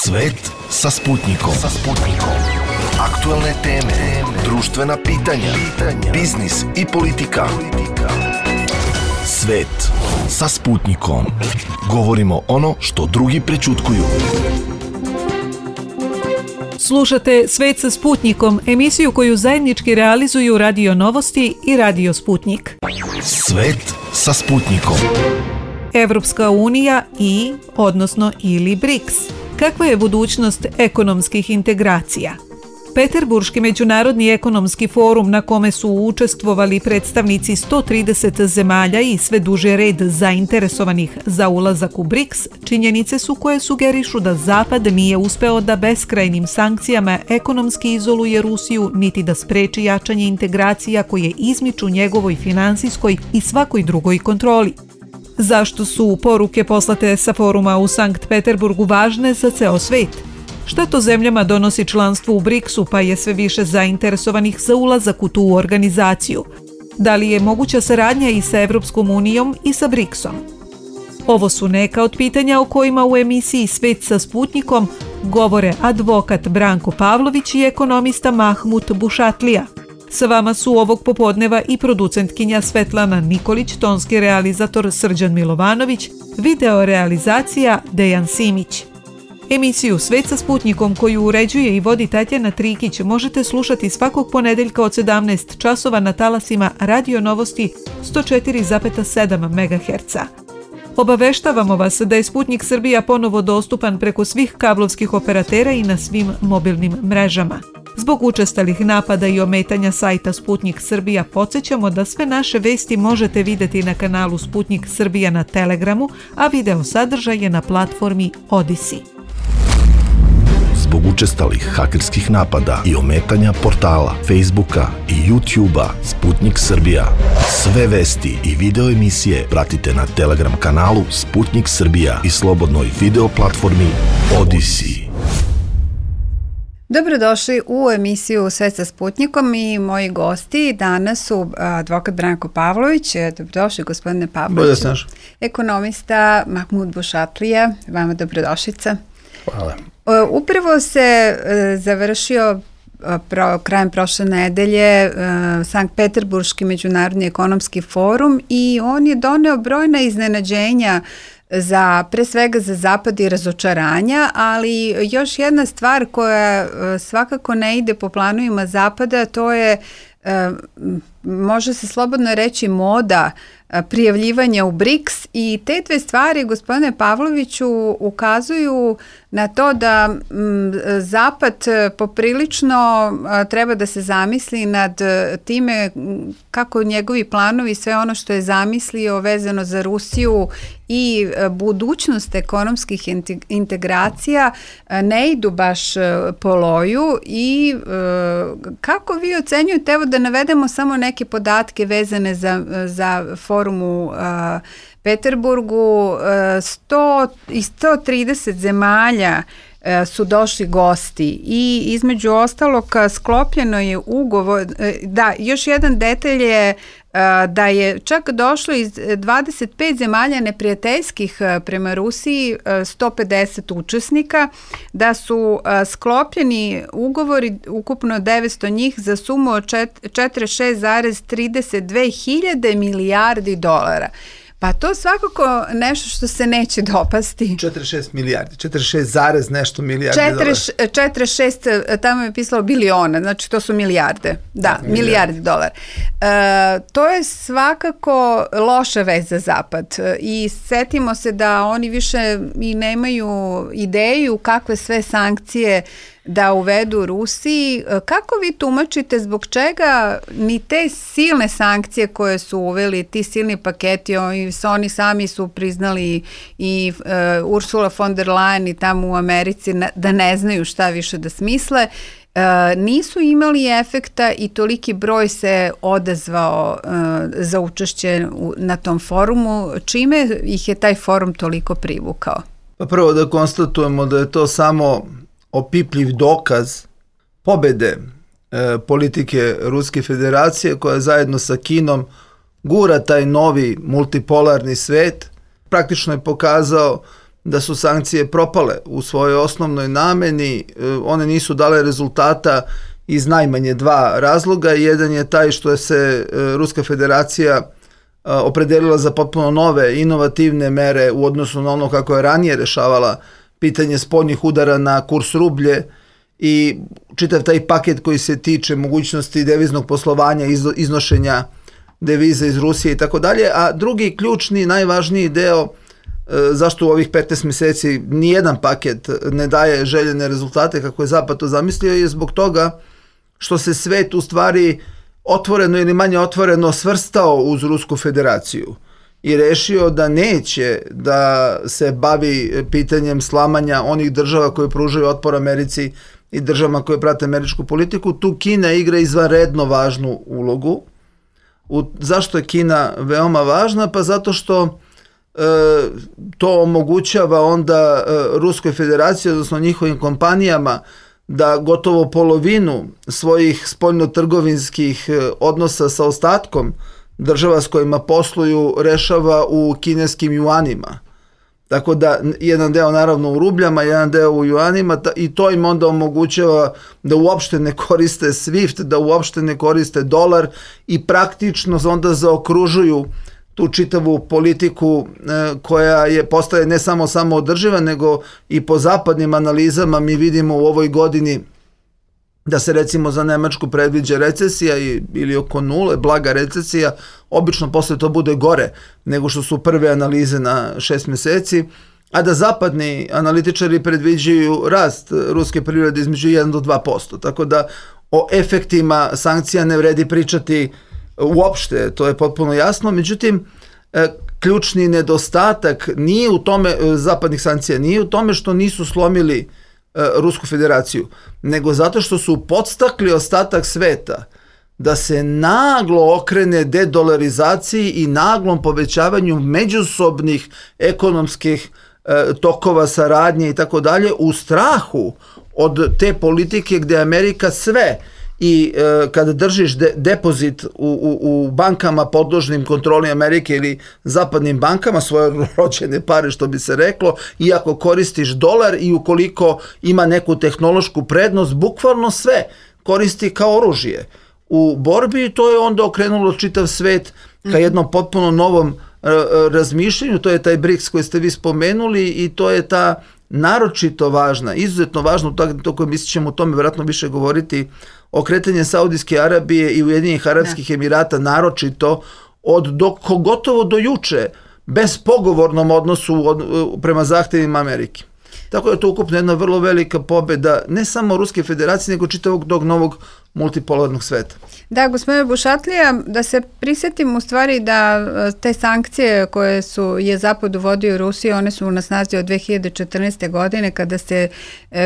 Svet sa Sputnikom. Aktuelne teme, društvena pitanja, biznis i politika. Svet sa Sputnikom. Govorimo ono što drugi prećutkuju. Slušate Svet sa Sputnikom, emisiju koju zajednički realizuju Radio Novosti i Radio Sputnik. Svet sa Sputnikom. Evropska unija ili BRICS. Kakva je budućnost ekonomskih integracija? Peterburški međunarodni ekonomski forum na kome su učestvovali predstavnici 130 zemalja i sve duži red zainteresovanih za ulazak u BRICS, činjenice su koje sugerišu da Zapad nije uspeo da beskrajnim sankcijama ekonomski izoluje Rusiju niti da spreči jačanje integracija koje izmiču njegovoj finansijskoj i svakoj drugoj kontroli. Zašto su poruke poslate sa foruma u Sankt Peterburgu važne za ceo svet? Šta to zemljama donosi članstvo u BRICS-u pa je sve više zainteresovanih za ulazak u tu organizaciju? Da li je moguća saradnja i sa Evropskom unijom i sa BRICS-om? Ovo su neka od pitanja o kojima u emisiji Svet sa Sputnikom govore advokat Branko Pavlović i ekonomista Mahmut Bušatlija. Sa vama su ovog popodneva i producentkinja Svetlana Nikolić, tonski realizator Srđan Milovanović, video realizacija Dejan Simić. Emisiju Svet sa Sputnikom koju uređuje i vodi Tatjana Trikić možete slušati svakog ponedeljka od 17 časova na talasima Radio Novosti 104,7 MHz. Obaveštavamo vas da je Sputnik Srbija ponovo dostupan preko svih kablovskih operatera i na svim mobilnim mrežama. Zbog učestalih napada i ometanja sajta Sputnik Srbija podsjećamo da sve naše vesti možete vidjeti na kanalu Sputnik Srbija na Telegramu, a video sadržaj je na platformi Odisi. Zbog učestalih hakerskih napada i ometanja portala, Facebooka i YouTubea Sputnik Srbija. Sve vesti i video emisije pratite na Telegram kanalu Sputnik Srbija i slobodnoj video platformi Odisi. Dobrodošli u emisiju Svet sa Sputnikom i moji gosti danas su advokat Branko Pavlović. Dobrodošli gospodine Pavlović. Ekonomista Mahmut Bušatlija, vama dobrodošlica. Hvala. Upravo se završio krajem prošle nedelje Sankt Peterburški međunarodni ekonomski forum i on je doneo brojna iznenađenja pre svega za Zapad i razočaranja, ali još jedna stvar koja svakako ne ide po planovima Zapada, to je, može se slobodno reći, moda prijavljivanja u BRICS i te dve stvari, gospodine Pavloviću, ukazuju na to da Zapad poprilično treba da se zamisli nad time kako njegovi planovi, sve ono što je zamislio vezano za Rusiju i budućnost ekonomskih integracija ne idu baš po loju i kako vi ocenjujete, evo da navedemo samo neke podatke vezane za forum u Peterburgu, 130 zemalja su došli gosti i između ostalog sklopljeno je ugovor, još jedan detalj je da je čak došlo iz 25 zemalja neprijateljskih prema Rusiji 150 učesnika, da su sklopljeni ugovori, ukupno 900 njih za sumu od 46,32 hiljade milijardi dolara. Pa to svakako nešto što se neće dopasti. 46 milijardi, 46 zarez nešto milijardi dolara. 46, tamo je pisalo biliona, znači to su milijarde. Da, milijardi dolara. To je svakako loša vest za Zapad i setimo se da oni više i nemaju ideju kakve sve sankcije da uvedu Rusiji. Kako vi tumačite zbog čega ni te silne sankcije koje su uveli, ti silni paketi, oni sami su priznali i Ursula von der Leyen i tamo u Americi da ne znaju šta više da smisle, nisu imali efekta i toliki broj se odazvao za učešće na tom forumu. Čime ih je taj forum toliko privukao? Pa prvo da konstatujemo da je to samo opipljiv dokaz pobede politike Ruske federacije koja zajedno sa Kinom gura taj novi multipolarni svet. Praktično je pokazao da su sankcije propale u svojoj osnovnoj nameni. One nisu dale rezultata iz najmanje dva razloga. Jedan je taj što je se Ruska federacija opredelila za potpuno nove, inovativne mere u odnosu na ono kako je ranije rešavala pitanje spoljnih udara na kurs rublje i čitav taj paket koji se tiče mogućnosti deviznog poslovanja, iznošenja deviza iz Rusije i tako dalje. A drugi ključni, najvažniji deo zašto u ovih 15 meseci nijedan paket ne daje željene rezultate kako je Zapad to zamislio je zbog toga što se svet u stvari otvoreno ili manje otvoreno svrstao uz Rusku federaciju i rešio da neće da se bavi pitanjem slamanja onih država koje pružaju otpor Americi i državama koje prate američku politiku. Tu Kina igra izvanredno važnu ulogu. Zašto je Kina veoma važna? Pa zato što to omogućava onda Ruskoj federaciji, odnosno njihovim kompanijama, da gotovo polovinu svojih spoljnotrgovinskih odnosa sa ostatkom država s kojima posluju rešava u kineskim juanima. Tako da jedan deo naravno u rubljama, jedan deo u juanima i to im onda omogućava da uopšte ne koriste SWIFT, da uopšte ne koriste dolar i praktično onda zaokružuju tu čitavu politiku koja postaje ne samo samoodrživa, nego i po zapadnim analizama mi vidimo u ovoj godini da se recimo za Nemačku predviđa recesija ili oko nule, blaga recesija, obično posle to bude gore nego što su prve analize na 6 meseci, a da zapadni analitičari predviđaju rast ruske privrede između 1 do 2%. Tako da o efektima sankcija ne vredi pričati uopšte, to je potpuno jasno. Međutim, ključni nedostatak nije u tome, zapadnih sankcija, nije u tome što nisu slomili Rusku federaciju, nego zato što su podstakli ostatak sveta da se naglo okrene dedolarizaciji i naglom povećavanju međusobnih ekonomskih tokova saradnje i tako dalje, u strahu od te politike gde Amerika sve i kada držiš depozit u bankama podložnim kontroli Amerike ili zapadnim bankama, svoje rođene pare što bi se reklo, i ako koristiš dolar i ukoliko ima neku tehnološku prednost, bukvalno sve koristi kao oružje u borbi i to je onda okrenulo čitav svet ka jednom potpuno novom razmišljanju. To je taj BRICS koji ste vi spomenuli i to je ta naročito važna, izuzetno važna, to mi ćemo o tome vjerojatno više govoriti, okretanje Saudijske Arabije i Ujedinjenih Arapskih Emirata naročito gotovo do juče bespogovornom odnosu prema zahtevima Amerike. Tako da je to ukupno jedna vrlo velika pobeda ne samo Ruske federacije, nego čitavog tog novog multipolarnog sveta. Da, gospodine Bušatlija, da se prisjetim u stvari da te sankcije koje je Zapad uvodio u Rusiju, one su na snazi od 2014. godine kada se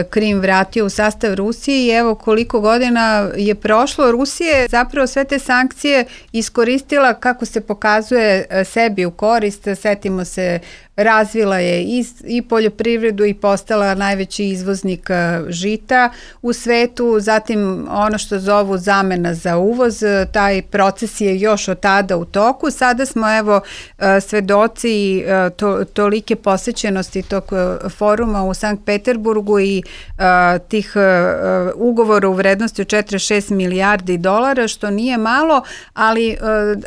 Krim vratio u sastav Rusije i evo koliko godina je prošlo. Rusija je zapravo sve te sankcije iskoristila kako se pokazuje sebi u korist. Setimo se, razvila je i poljoprivredu i postala najveći izvoznik žita u svetu, zatim ono što zovu zamena za uvoz, taj proces je još od tada u toku. Sada smo evo svedoci tolike posećenosti tog foruma u Sankt Peterburgu i tih ugovora u vrednosti od 46 milijardi dolara, što nije malo, ali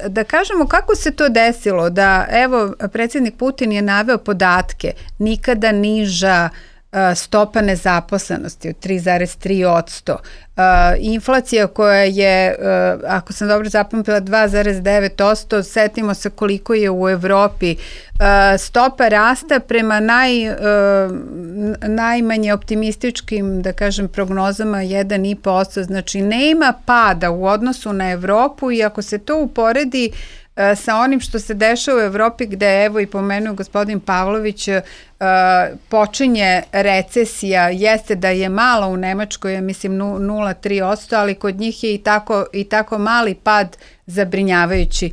da kažemo kako se to desilo, da evo predsjednik Putin je naveo podatke, nikada niža stopa nezaposlenosti od 3,3%. Inflacija koja je, ako sam dobro zapamtila, 2,9%, setimo se koliko je u Evropi. Stopa rasta prema najmanje optimističkim, da kažem, prognozama 1,5%. Znači, nema pada u odnosu na Evropu i ako se to uporedi sa onim što se dešava u Evropi gde, evo i pomenuo gospodin Pavlović, počinje recesija, jeste da je mala u Nemačkoj, ja mislim 0,3%, ali kod njih je i tako mali pad zabrinjavajući.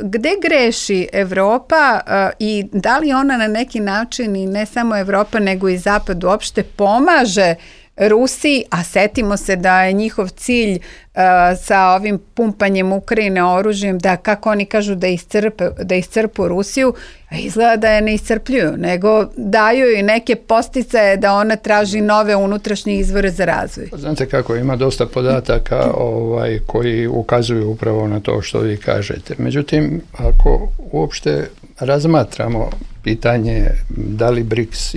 Gde greši Evropa i da li ona na neki način, i ne samo Evropa nego i Zapad uopšte, pomaže Rusiji, a setimo se da je njihov cilj sa ovim pumpanjem Ukrajine oružjem, da kako oni kažu da iscrpu Rusiju, a izgleda da je ne iscrpljuju, nego daju i neke posticaje da ona traži nove unutrašnje izvore za razvoj. Znate kako, ima dosta podataka koji ukazuju upravo na to što vi kažete. Međutim, ako uopšte razmatramo pitanje da li BRICS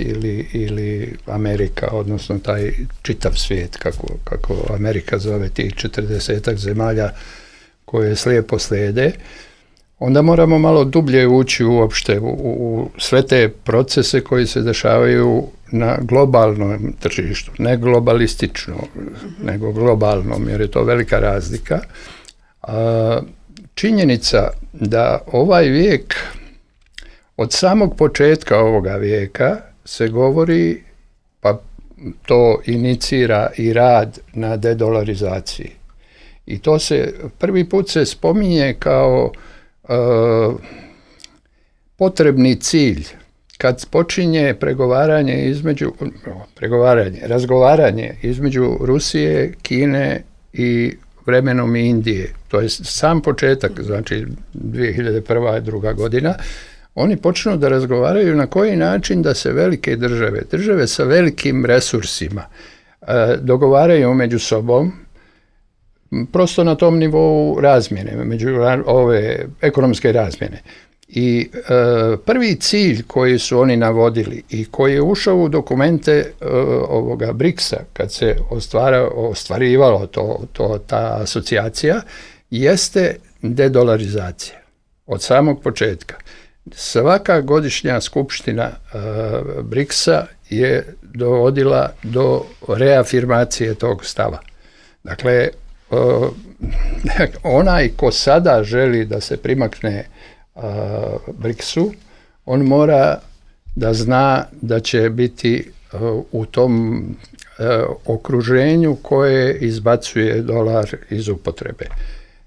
ili Amerika, odnosno taj čitav svijet, kako Amerika zove tih 40-ak zemalja koje slijepo slijede, onda moramo malo dublje ući uopšte u sve te procese koji se dešavaju na globalnom tržištu, ne globalistično, nego globalnom, jer je to velika razlika. Činjenica da ovaj vijek, od samog početka ovoga vijeka se govori, pa to inicira i rad na dedolarizaciji. I to se prvi put se spominje kao potrebni cilj kad počinje razgovaranje između Rusije, Kine i vremenom Indije. To je sam početak, znači 2001. i 2002. godina. Oni počnu da razgovaraju na koji način da se velike države sa velikim resursima dogovaraju među sobom, prosto na tom nivou razmjene, ove ekonomske razmjene. I prvi cilj koji su oni navodili i koji je ušao u dokumente ovoga BRICS-a, kad se ostvarivalo ta asocijacija, jeste dedolarizacija od samog početka. Svaka godišnja skupština BRICS-a je dovodila do reafirmacije tog stava. Dakle, onaj ko sada želi da se primakne BRICS-u, on mora da zna da će biti u tom okruženju koje izbacuje dolar iz upotrebe.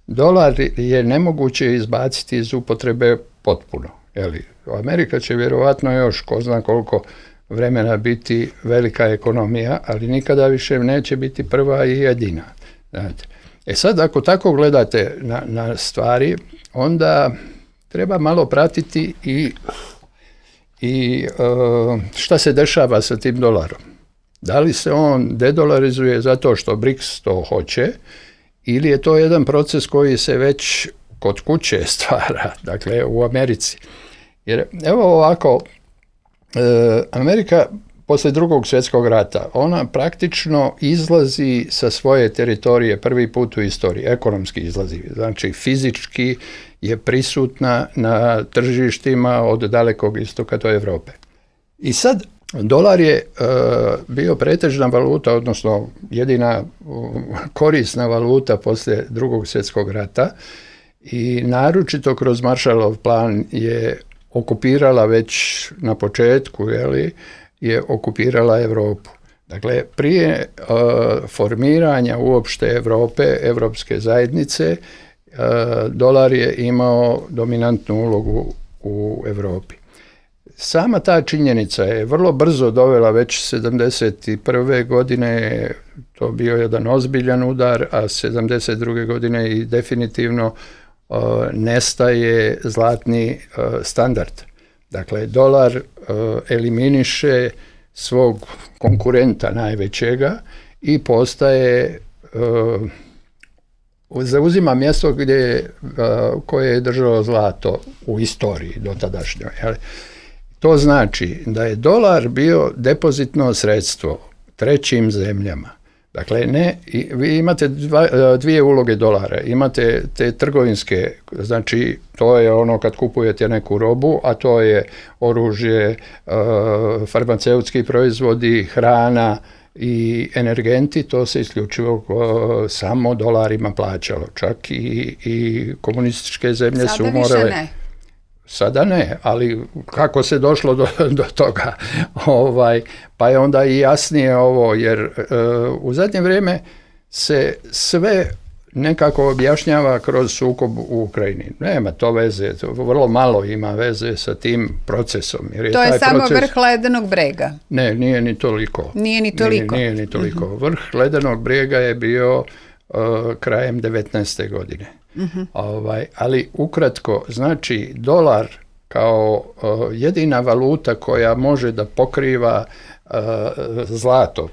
Dolar je nemoguće izbaciti iz upotrebe potpuno. Amerika će vjerovatno još ko zna koliko vremena biti velika ekonomija, ali nikada više neće biti prva i jedina. Znate. Sad, ako tako gledate na stvari, onda treba malo pratiti i šta se dešava sa tim dolarom. Da li se on dedolarizuje zato što BRICS to hoće, ili je to jedan proces koji se već kod kuće stvara, dakle u Americi. Jer evo ovako, Amerika poslije Drugog svjetskog rata, ona praktično izlazi sa svoje teritorije prvi put u istoriji, ekonomski izlazi, znači fizički je prisutna na tržištima od dalekog istoka do Europe. I sad dolar je bio pretežna valuta, odnosno jedina korisna valuta poslije Drugog svjetskog rata i naročito kroz Marshallov plan je okupirala već na početku, je okupirala Europu. Dakle, prije formiranja uopšte Europe, Europske zajednice, dolar je imao dominantnu ulogu u Europi. Sama ta činjenica je vrlo brzo dovela, već 71. godine to bio jedan ozbiljan udar, a 72. godine i definitivno nestaje zlatni standard. Dakle, dolar eliminiše svog konkurenta najvećega i postaje, zauzima mjesto koje je držalo zlato u istoriji dotadašnjoj. To znači da je dolar bio depozitno sredstvo trećim zemljama. Dakle, vi imate dvije uloge dolara. Imate te trgovinske, znači to je ono kad kupujete neku robu, a to je oružje, farmaceutski proizvodi, hrana i energenti, to se isključivo samo dolarima plaćalo. Čak i komunističke zemlje su morale... Sada ne, ali kako se došlo do toga? Pa je onda i jasnije ovo, jer u zadnje vrijeme se sve nekako objašnjava kroz sukob u Ukrajini. Nema to veze, to vrlo malo ima veze sa tim procesom. Jer to je samo vrh ledenog brega. Ne, nije ni toliko. Nije ni toliko. Nije ni toliko. Vrh ledenog brega je bio krajem 19. godine. Ali ukratko, znači dolar kao jedina valuta koja može da pokriva zlato,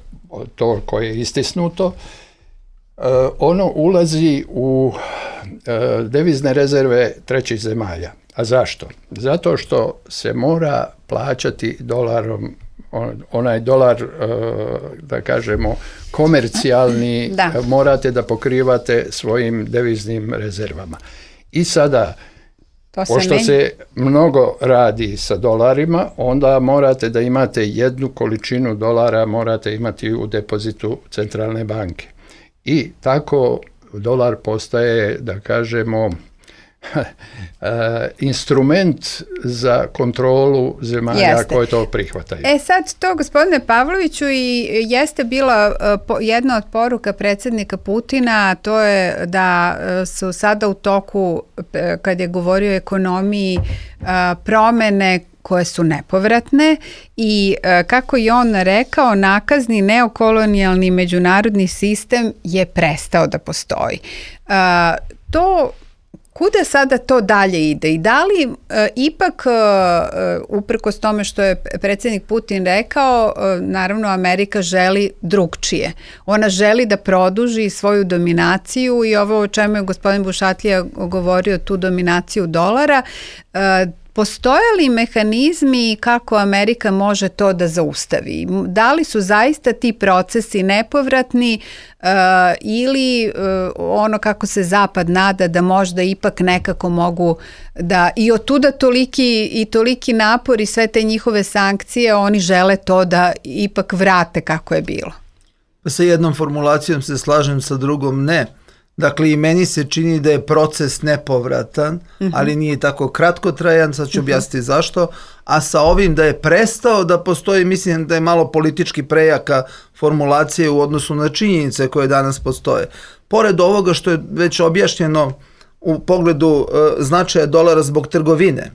to koje je istisnuto, ono ulazi u devizne rezerve trećih zemalja. A zašto? Zato što se mora plaćati dolarom, onaj dolar, da kažemo, komercijalni, morate da pokrivate svojim deviznim rezervama. I sada, pošto se mnogo radi sa dolarima, onda morate da imate jednu količinu dolara, morate imati u depozitu centralne banke. I tako dolar postaje, da kažemo, instrument za kontrolu zemalja koje to prihvataju. Sad to, gospodine Pavloviću, i jeste bila jedna od poruka predsjednika Putina, to je da su sada u toku, kad je govorio o ekonomiji, promene koje su nepovratne i kako je on rekao, nakazni neokolonijalni međunarodni sistem je prestao da postoji. To kuda sada to dalje ide i da li ipak, uprkos tome što je predsjednik Putin rekao, naravno Amerika želi drugčije. Ona želi da produži svoju dominaciju i ovo o čemu je gospodin Bušatlija govorio, tu dominaciju dolara. Postoje li mehanizmi kako Amerika može to da zaustavi? Da li su zaista ti procesi nepovratni ili ono kako se Zapad nada da možda ipak nekako mogu da i otuda toliki napor i sve te njihove sankcije, oni žele to da ipak vrate kako je bilo? Sa jednom formulacijom se slažem, sa drugom ne. Dakle, i meni se čini da je proces nepovratan, ali nije tako kratkotrajan, sad ću objasniti zašto, a sa ovim da je prestao da postoji, mislim da je malo politički prejaka formulacije u odnosu na činjenice koje danas postoje. Pored ovoga što je već objašnjeno u pogledu značaja dolara zbog trgovine,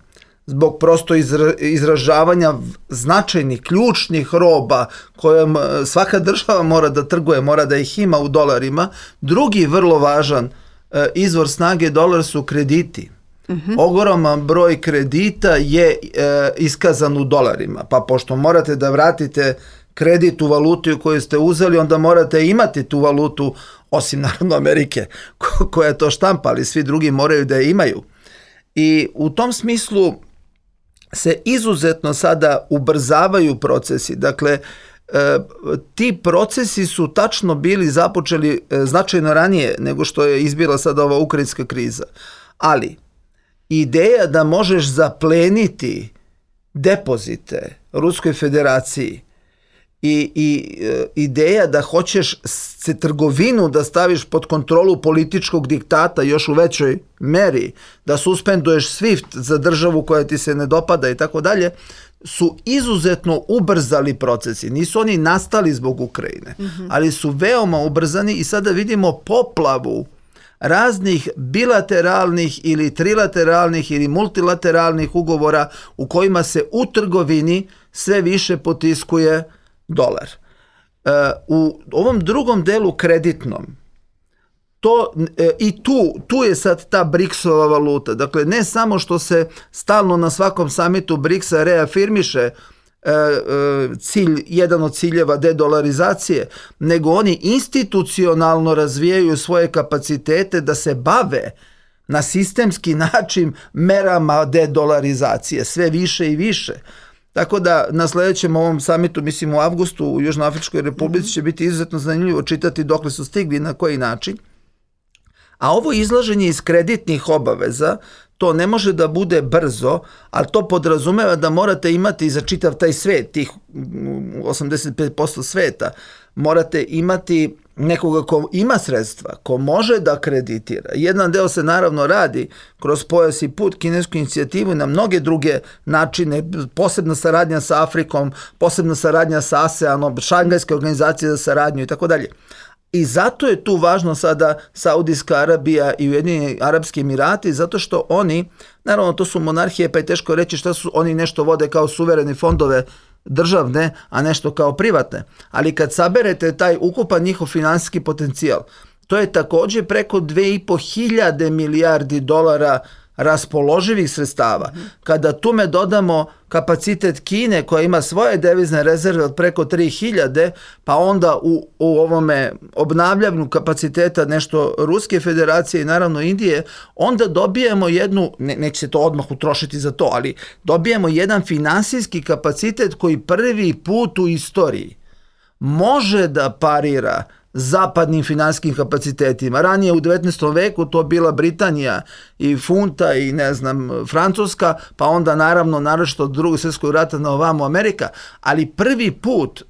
zbog prosto izražavanja značajnih, ključnih roba kojom svaka država mora da trguje, mora da ih ima u dolarima. Drugi vrlo važan izvor snage dolara su krediti. Ogroman broj kredita je iskazan u dolarima, pa pošto morate da vratite kredit u valutu koju ste uzeli, onda morate imati tu valutu, osim naravno Amerike koja to štampa, ali svi drugi moraju da je imaju. I u tom smislu se izuzetno sada ubrzavaju procesi. Dakle, ti procesi su tačno bili započeli značajno ranije nego što je izbila sada ova ukrajinska kriza. Ali ideja da možeš zapleniti depozite Ruskoj federaciji i ideja da hoćeš se trgovinu da staviš pod kontrolu političkog diktata još u većoj meri, da suspenduješ SWIFT za državu koja ti se ne dopada i tako dalje, su izuzetno ubrzali procesi. Nisu oni nastali zbog Ukrajine, ali su veoma ubrzani i sada vidimo poplavu raznih bilateralnih ili trilateralnih ili multilateralnih ugovora u kojima se u trgovini sve više potiskuje dolar. U ovom drugom delu kreditnom, i tu je sad ta BRICS-ova valuta. Dakle, ne samo što se stalno na svakom samitu BRICS-a reafirmiše jedan od ciljeva dedolarizacije, nego oni institucionalno razvijaju svoje kapacitete da se bave na sistemski način merama dedolarizacije, sve više i više. Tako da na sljedećem ovom samitu, mislim u avgustu u Južnoafričkoj Republici, će biti izuzetno zanimljivo čitati dokle su stigli, na koji način. A ovo izlaženje iz kreditnih obaveza, to ne može da bude brzo, ali to podrazumeva da morate imati za čitav taj svet, tih 85% sveta, morate imati nekoga ko ima sredstva, ko može da kreditira. Jedan deo se naravno radi kroz Pojas i put, kinesku inicijativu, na mnoge druge načine, posebna saradnja sa Afrikom, posebna saradnja sa ASEANom, Šangajska organizacija za saradnju i tako dalje. I zato je tu važno sada Saudijska Arabija i Ujedinjeni Arapski Emirati, zato što oni, naravno to su monarhije, pa je teško reći šta su, oni nešto vode kao suvereni fondove državne, a nešto kao privatne. Ali kad saberete taj ukupan njihov finansijski potencijal, to je također preko 2.500 milijardi dolara raspoloživih sredstava. Kada tome dodamo kapacitet Kine koja ima svoje devizne rezerve od preko 3.000, pa onda u ovome obnavljanju kapaciteta nešto Ruske federacije i naravno Indije, onda dobijemo jednu, neće se to odmah utrošiti za to, ali dobijemo jedan finansijski kapacitet koji prvi put u istoriji može da parira zapadnim finansijskim kapacitetima. Ranije u 19. veku to bila Britanija i funta i ne znam Francuska, pa onda naravno naročito od Drugog svjetskog rata na ovamo Amerika, ali prvi put,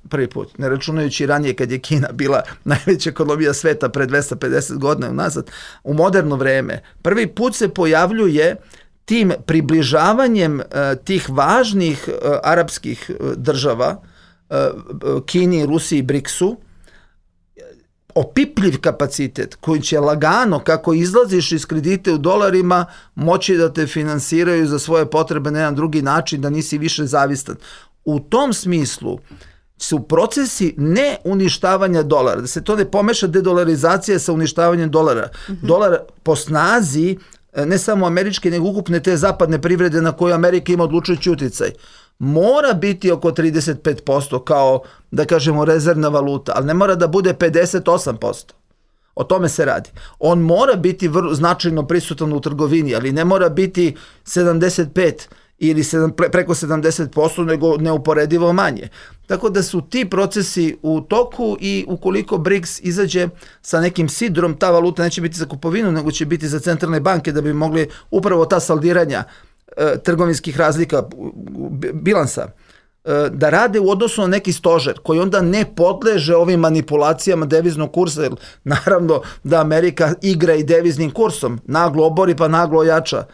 ne računajući ranije kad je Kina bila najveća ekonomija sveta pre 250 godina unazad, u moderno vreme, prvi put se pojavljuje tim približavanjem tih važnih arapskih država, Kini, Rusiji i BRICS-u, opipljiv kapacitet koji će lagano, kako izlaziš iz kredite u dolarima, moći da te finansiraju za svoje potrebe na jedan drugi način, da nisi više zavistan. U tom smislu su procesi ne uništavanja dolara, da se to ne pomeša dedolarizacija sa uništavanjem dolara. Dolar po snazi, ne samo američke, nego ukupne te zapadne privrede na koju Amerika ima odlučujući utjecaj, mora biti oko 35% kao, da kažemo, rezervna valuta, ali ne mora da bude 58%. O tome se radi. On mora biti značajno prisutan u trgovini, ali ne mora biti 75 ili preko 70%, nego neuporedivo manje. Tako da su ti procesi u toku i ukoliko BRICS izađe sa nekim sidrom, ta valuta neće biti za kupovinu, nego će biti za centralne banke da bi mogli upravo ta saldiranja trgovinskih razlika, bilansa, da rade u odnosu na neki stožer koji onda ne podleže ovim manipulacijama deviznog kursa, jer naravno da Amerika igra i deviznim kursom, naglo obori pa naglo ojača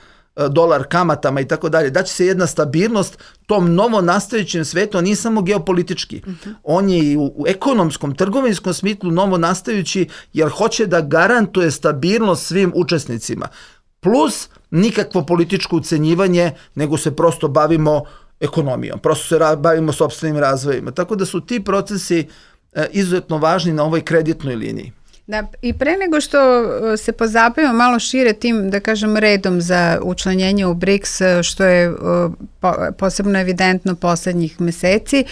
dolar kamatama i tako dalje. Daće se jedna stabilnost tom novo nastajućem svetu, a nije samo geopolitički. On je i u ekonomskom, trgovinskom smislu novo nastajući, jer hoće da garantuje stabilnost svim učesnicima. Plus nikakvo političko ucenjivanje, nego se prosto bavimo ekonomijom, prosto se bavimo sopstvenim razvojima. Tako da su ti procesi izuzetno važni na ovoj kreditnoj liniji. Da, i pre nego što se pozabavimo malo šire tim, da kažem, redom za učlanjenje u BRICS, što je posebno evidentno poslednjih meseci.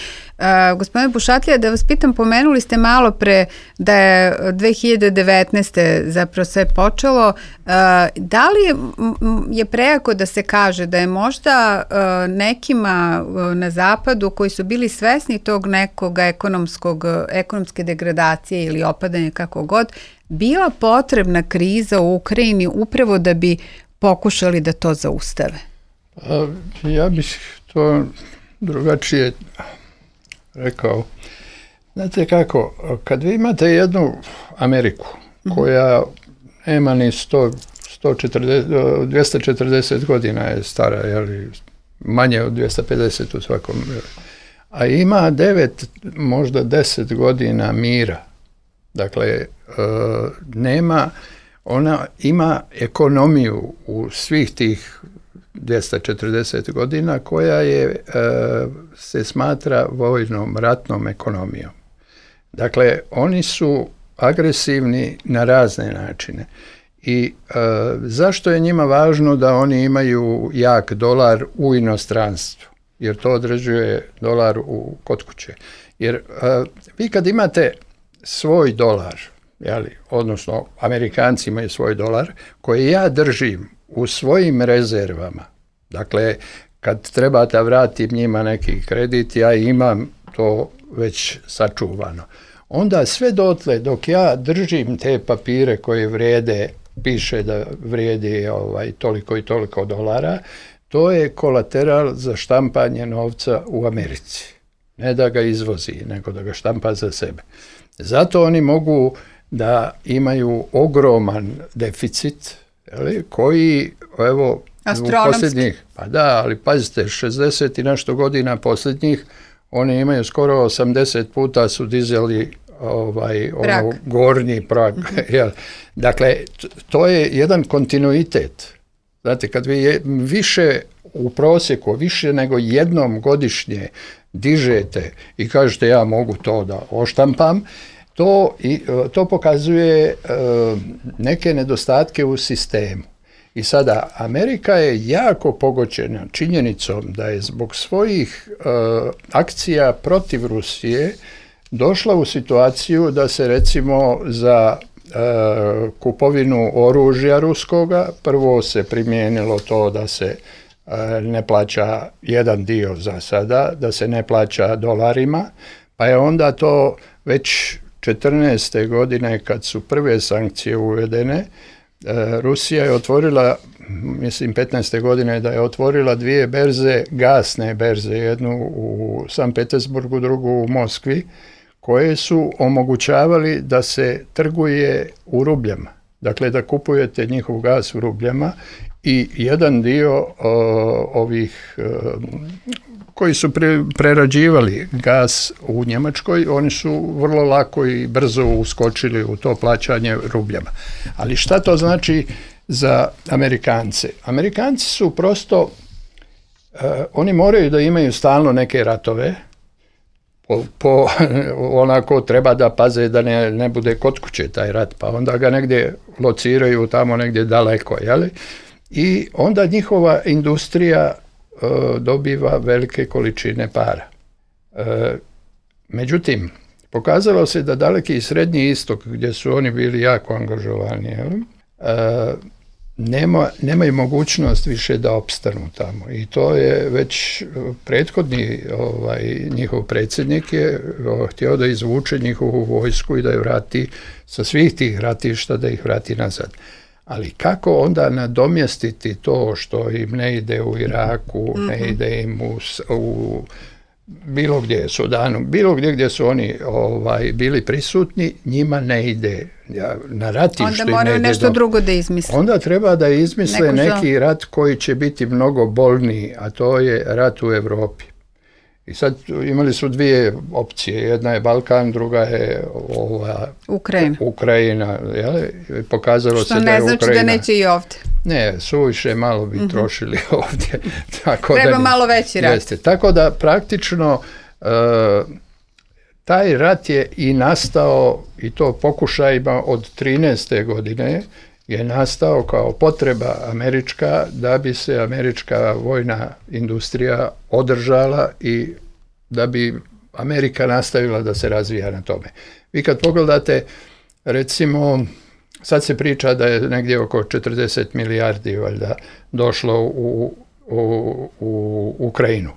Gospodine Bušatlija, da vas pitam, pomenuli ste malo pre da je 2019. zapravo sve počelo. Da li je prejako da se kaže da je možda nekima na zapadu koji su bili svesni tog nekog ekonomske degradacije ili opadanja kako god, bila potrebna kriza u Ukrajini upravo da bi pokušali da to zaustave? Ja bih to drugačije rekao. Znate kako, kad vi imate jednu Ameriku koja nema ni 240 godina je stara, jeli, manje od 250 u svakom, a ima 9, možda 10 godina mira. Dakle, ona ima ekonomiju u svih tih 240 godina koja se smatra vojnom, ratnom ekonomijom. Dakle, oni su agresivni na razne načine. I zašto je njima važno da oni imaju jak dolar u inostranstvu? Jer to određuje dolar kod kuće. Jer vi kad imate svoj dolar, odnosno Amerikanci imaju svoj dolar, koji ja držim u svojim rezervama, dakle, kad treba da vratim njima neki kredit, ja imam to već sačuvano. Onda sve dotle, dok ja držim te papire koje vrijede, piše da vrijedi toliko i toliko dolara, to je kolateral za štampanje novca u Americi. Ne da ga izvozi, nego da ga štampa za sebe. Zato oni mogu da imaju ogroman deficit, koji, evo, u posljednjih, pa da, ali pazite, 60 i nešto godina posljednjih, oni imaju skoro 80 puta su dizali gornji prag. Dakle, to je jedan kontinuitet. Znate, kad vi više u prosjeku, više nego jednom godišnje dižete i kažete ja mogu to da oštampam, to pokazuje neke nedostatke u sistemu. I sada, Amerika je jako pogođena činjenicom da je zbog svojih akcija protiv Rusije došla u situaciju da se recimo za kupovinu oružja ruskoga prvo se primijenilo to da se ne plaća jedan dio za sada, da se ne plaća dolarima, pa je onda to već 14. godine kad su prve sankcije uvedene, Rusija je otvorila, mislim 15. godine da je otvorila 2 berze, gasne berze, jednu u Sankt Petersburgu, drugu u Moskvi, koje su omogućavali da se trguje u rubljama. Dakle, da kupujete njihov gas u rubljama i jedan dio ovih koji su prerađivali gas u Njemačkoj, oni su vrlo lako i brzo uskočili u to plaćanje rubljama. Ali šta to znači za Amerikance? Amerikanci su prosto, oni moraju da imaju stalno neke ratove, onako treba da paze da ne bude kod kuće taj rat, pa onda ga negdje lociraju tamo negdje daleko, jeli? I onda njihova industrija dobiva velike količine para. Međutim, pokazalo se da Daleki i Srednji istok, gdje su oni bili jako angažovani, nemaju mogućnost više da opstanu tamo. I to je već prethodni njihov predsjednik je htio da izvuče njihovu vojsku i da je vrati sa svih tih ratišta, da ih vrati nazad. Ali kako onda nadomjestiti to što im ne ide u Iraku, ne ide im u bilo gdje, Sudanu, bilo gdje su oni bili prisutni, njima ne ide na ratištu. Onda moraju nešto drugo da izmisle. Onda treba da izmisle neki rat koji će biti mnogo bolniji, a to je rat u Europi. I sad imali su 2 opcije, jedna je Balkan, druga je Ukrajina. Pokazalo što se da je Ukrajina... Što ne znači da neće i ovdje. Ne, suviše malo bi trošili ovdje. Treba malo veći rat. Jeste. Tako da praktično taj rat je i nastao, i to pokušajima od 13. godine, je nastao kao potreba američka da bi se američka vojna industrija održala i da bi Amerika nastavila da se razvija na tome. Vi kad pogledate, recimo, sad se priča da je negdje oko 40 milijardi valjda došlo u Ukrajinu,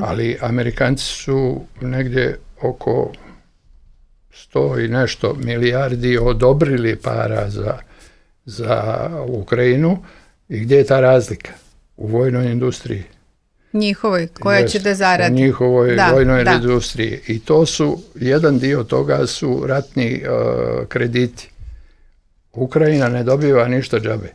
ali Amerikanci su negdje oko 100 i nešto milijardi odobrili para za Ukrajinu. I gdje je ta razlika? U vojnoj industriji. Njihovoj, koja će da zaradi. U njihovoj vojnoj industriji. I to su, jedan dio toga su ratni krediti. Ukrajina ne dobiva ništa džabe.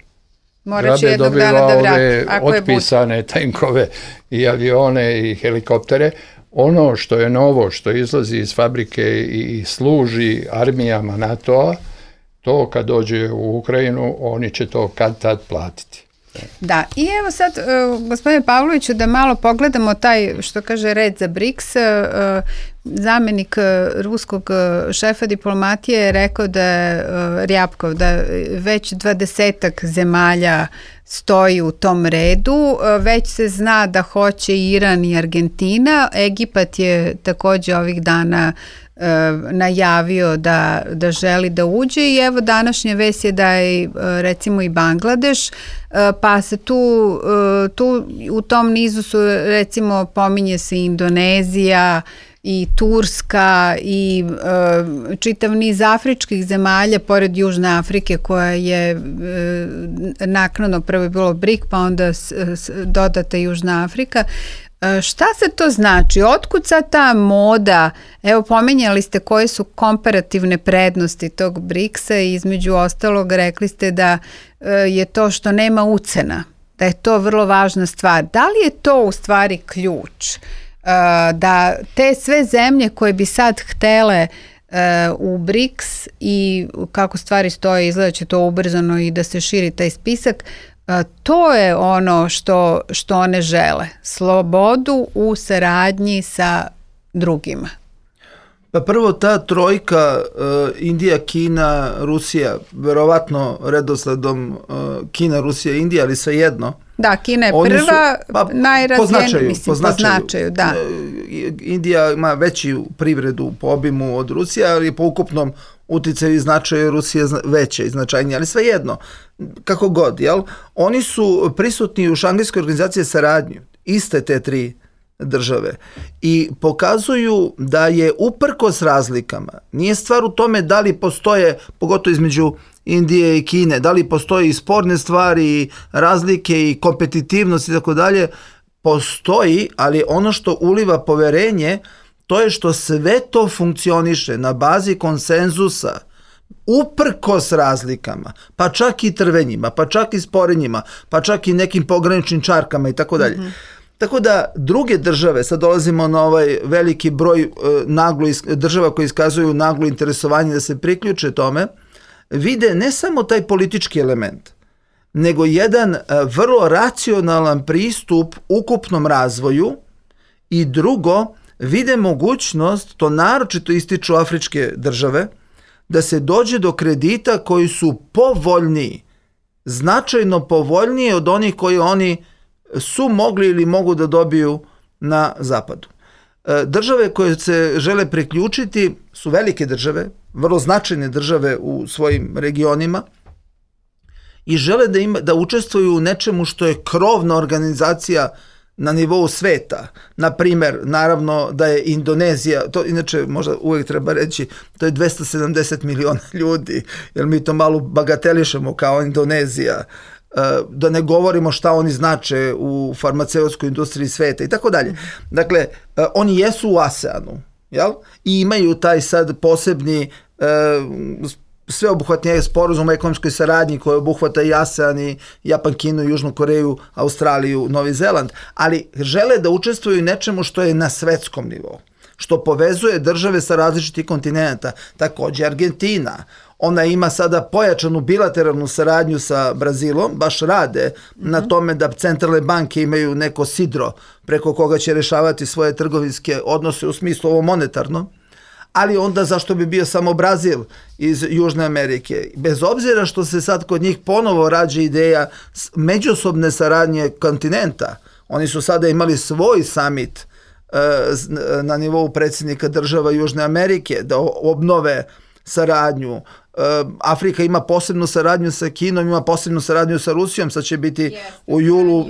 Morat će jednog dana da vrati. Ove otpisane tenkove i avione i helikoptere. Ono što je novo, što izlazi iz fabrike i služi armijama NATO-a, to kad dođe u Ukrajinu, oni će to kad tad platiti. Da, i evo sad, gospodine Pavloviću, da malo pogledamo taj, što kaže, red za BRICS. Zamjenik ruskog šefa diplomatije je rekao da je Rjapkov, da već 20 zemalja stoji u tom redu. Već se zna da hoće Iran i Argentina. Egipat je također ovih dana najavio da želi da uđe i evo današnja vest je da je recimo i Bangladeš, pa se tu u tom nizu su recimo pominje se Indonezija i Turska i čitav niz afričkih zemalja pored Južne Afrike koja je naknadno prvo je bilo BRIC pa onda dodata Južna Afrika. Šta se to znači? Otkud sad ta moda? Evo, pominjali ste koje su komparativne prednosti tog BRICS-a i između ostalog rekli ste da je to što nema ucena, da je to vrlo važna stvar. Da li je to u stvari ključ? Da te sve zemlje koje bi sad htele u BRICS i kako stvari stoje, izgleda će to ubrzano i da se širi taj spisak. To je ono što one žele. Slobodu u saradnji sa drugima. Pa prvo ta trojka Indija, Kina, Rusija, verovatno redosledom Kina, Rusija, Indija, ali svejedno. Da, Kina je prva, najrazvijenija, po značaju, da. Indija ima veću privredu po obimu od Rusije, ali po ukupnom uticaju i značaju Rusije veće i značajnije, ali svejedno, kako god, jel? Oni su prisutni u Šangajskoj organizaciji saradnju, iste te tri države, i pokazuju da je uprkos razlikama, nije stvar u tome da li postoje, pogotovo između Indije i Kine, da li postoje i sporne stvari, razlike i kompetitivnost i tako dalje, postoji, ali ono što uliva poverenje, to je što sve to funkcioniše na bazi konsenzusa, uprkos razlikama, pa čak i trvenjima, pa čak i sporenjima, pa čak i nekim pograničnim čarkama i tako dalje. Tako da druge države, sad dolazimo na ovaj veliki broj država koji iskazuju naglo interesovanje da se priključe tome, vide ne samo taj politički element, nego jedan vrlo racionalan pristup ukupnom razvoju i drugo, vide mogućnost, to naročito ističu afričke države, da se dođe do kredita koji su povoljniji, značajno povoljniji od onih koji oni su mogli ili mogu da dobiju na zapadu. Države koje se žele priključiti su velike države, vrlo značajne države u svojim regionima i žele da učestvuju u nečemu što je krovna organizacija na nivou sveta. Na primjer, naravno da je Indonezija, to inače možda uvijek treba reći, to je 270 miliona ljudi, jer mi to malo bagatelišemo kao Indonezija, da ne govorimo šta oni znače u farmaceutskoj industriji sveta i tako dalje. Dakle, oni jesu u ASEANu, jel? I imaju taj sad posebni sveobuhvatni sporazum o ekonomskoj saradnji koji obuhvata i ASEAN, i Japan, Kinu, Južnu Koreju, Australiju, Novi Zeland, ali žele da učestvuju nečemu što je na svetskom nivou, što povezuje države sa različitih kontinenta. Također Argentina, ona ima sada pojačanu bilateralnu saradnju sa Brazilom, baš rade na tome da centralne banke imaju neko sidro preko koga će rešavati svoje trgovinske odnose u smislu ovo monetarno, ali onda zašto bi bio samo Brazil iz Južne Amerike? Bez obzira što se sad kod njih ponovo rađa ideja međusobne saradnje kontinenta, oni su sada imali svoj summit na nivou predsjednika država Južne Amerike da obnove saradnju. Afrika ima posebnu saradnju sa Kinom, ima posebnu saradnju sa Rusijom, sad će biti u julu.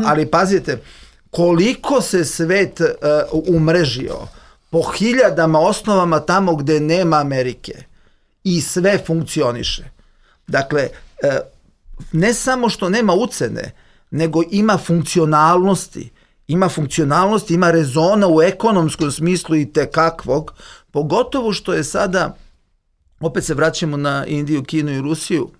Ali pazite, koliko se svet umrežio po hiljadama osnovama tamo gde nema Amerike i sve funkcioniše. Dakle, ne samo što nema ucene, nego ima funkcionalnosti. Ima rezona u ekonomskom smislu i tekakvog, pogotovo što je sada, opet se vraćamo na Indiju, Kinu i Rusiju,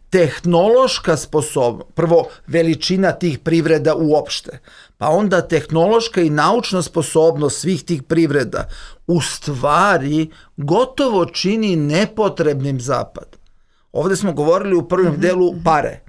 tehnološka sposobnost, prvo veličina tih privreda uopšte, pa onda tehnološka i naučna sposobnost svih tih privreda u stvari gotovo čini nepotrebnim zapad. Ovdje smo govorili u prvom delu pare,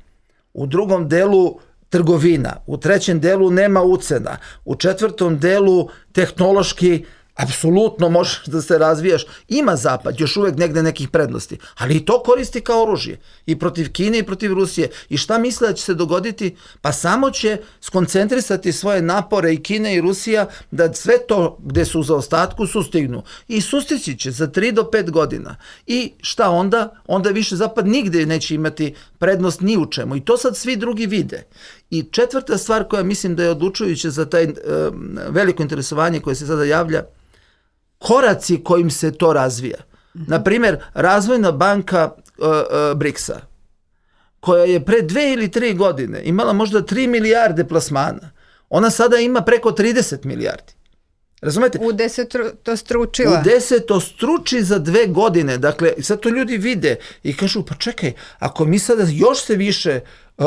u drugom delu trgovina, u trećem delu nema ucena, u četvrtom delu tehnološki apsolutno možeš da se razvijaš. Ima zapad, još uvijek negde nekih prednosti, ali i to koristi kao oružje. I protiv Kine i protiv Rusije. I šta misle da će se dogoditi? Pa samo će skoncentrisati svoje napore i Kina i Rusija da sve to gde su u zaostatku sustignu. I sustići će za 3 do 5 godina. I šta onda? Onda više zapad nigde neće imati prednost ni u čemu. I to sad svi drugi vide. I četvrta stvar koja mislim da je odlučujuća za taj veliko interesovanje koje se sada javlja, koraci kojim se to razvija. Naprimjer, Razvojna banka BRICS-a, koja je pre 2 ili 3 godine imala možda 3 milijarde plasmana, ona sada ima preko 30 milijardi. Razumete? Udesetostručila. Udesetostruči za 2 godine. Dakle, sad to ljudi vide i kažu, pa čekaj, ako mi sada još se više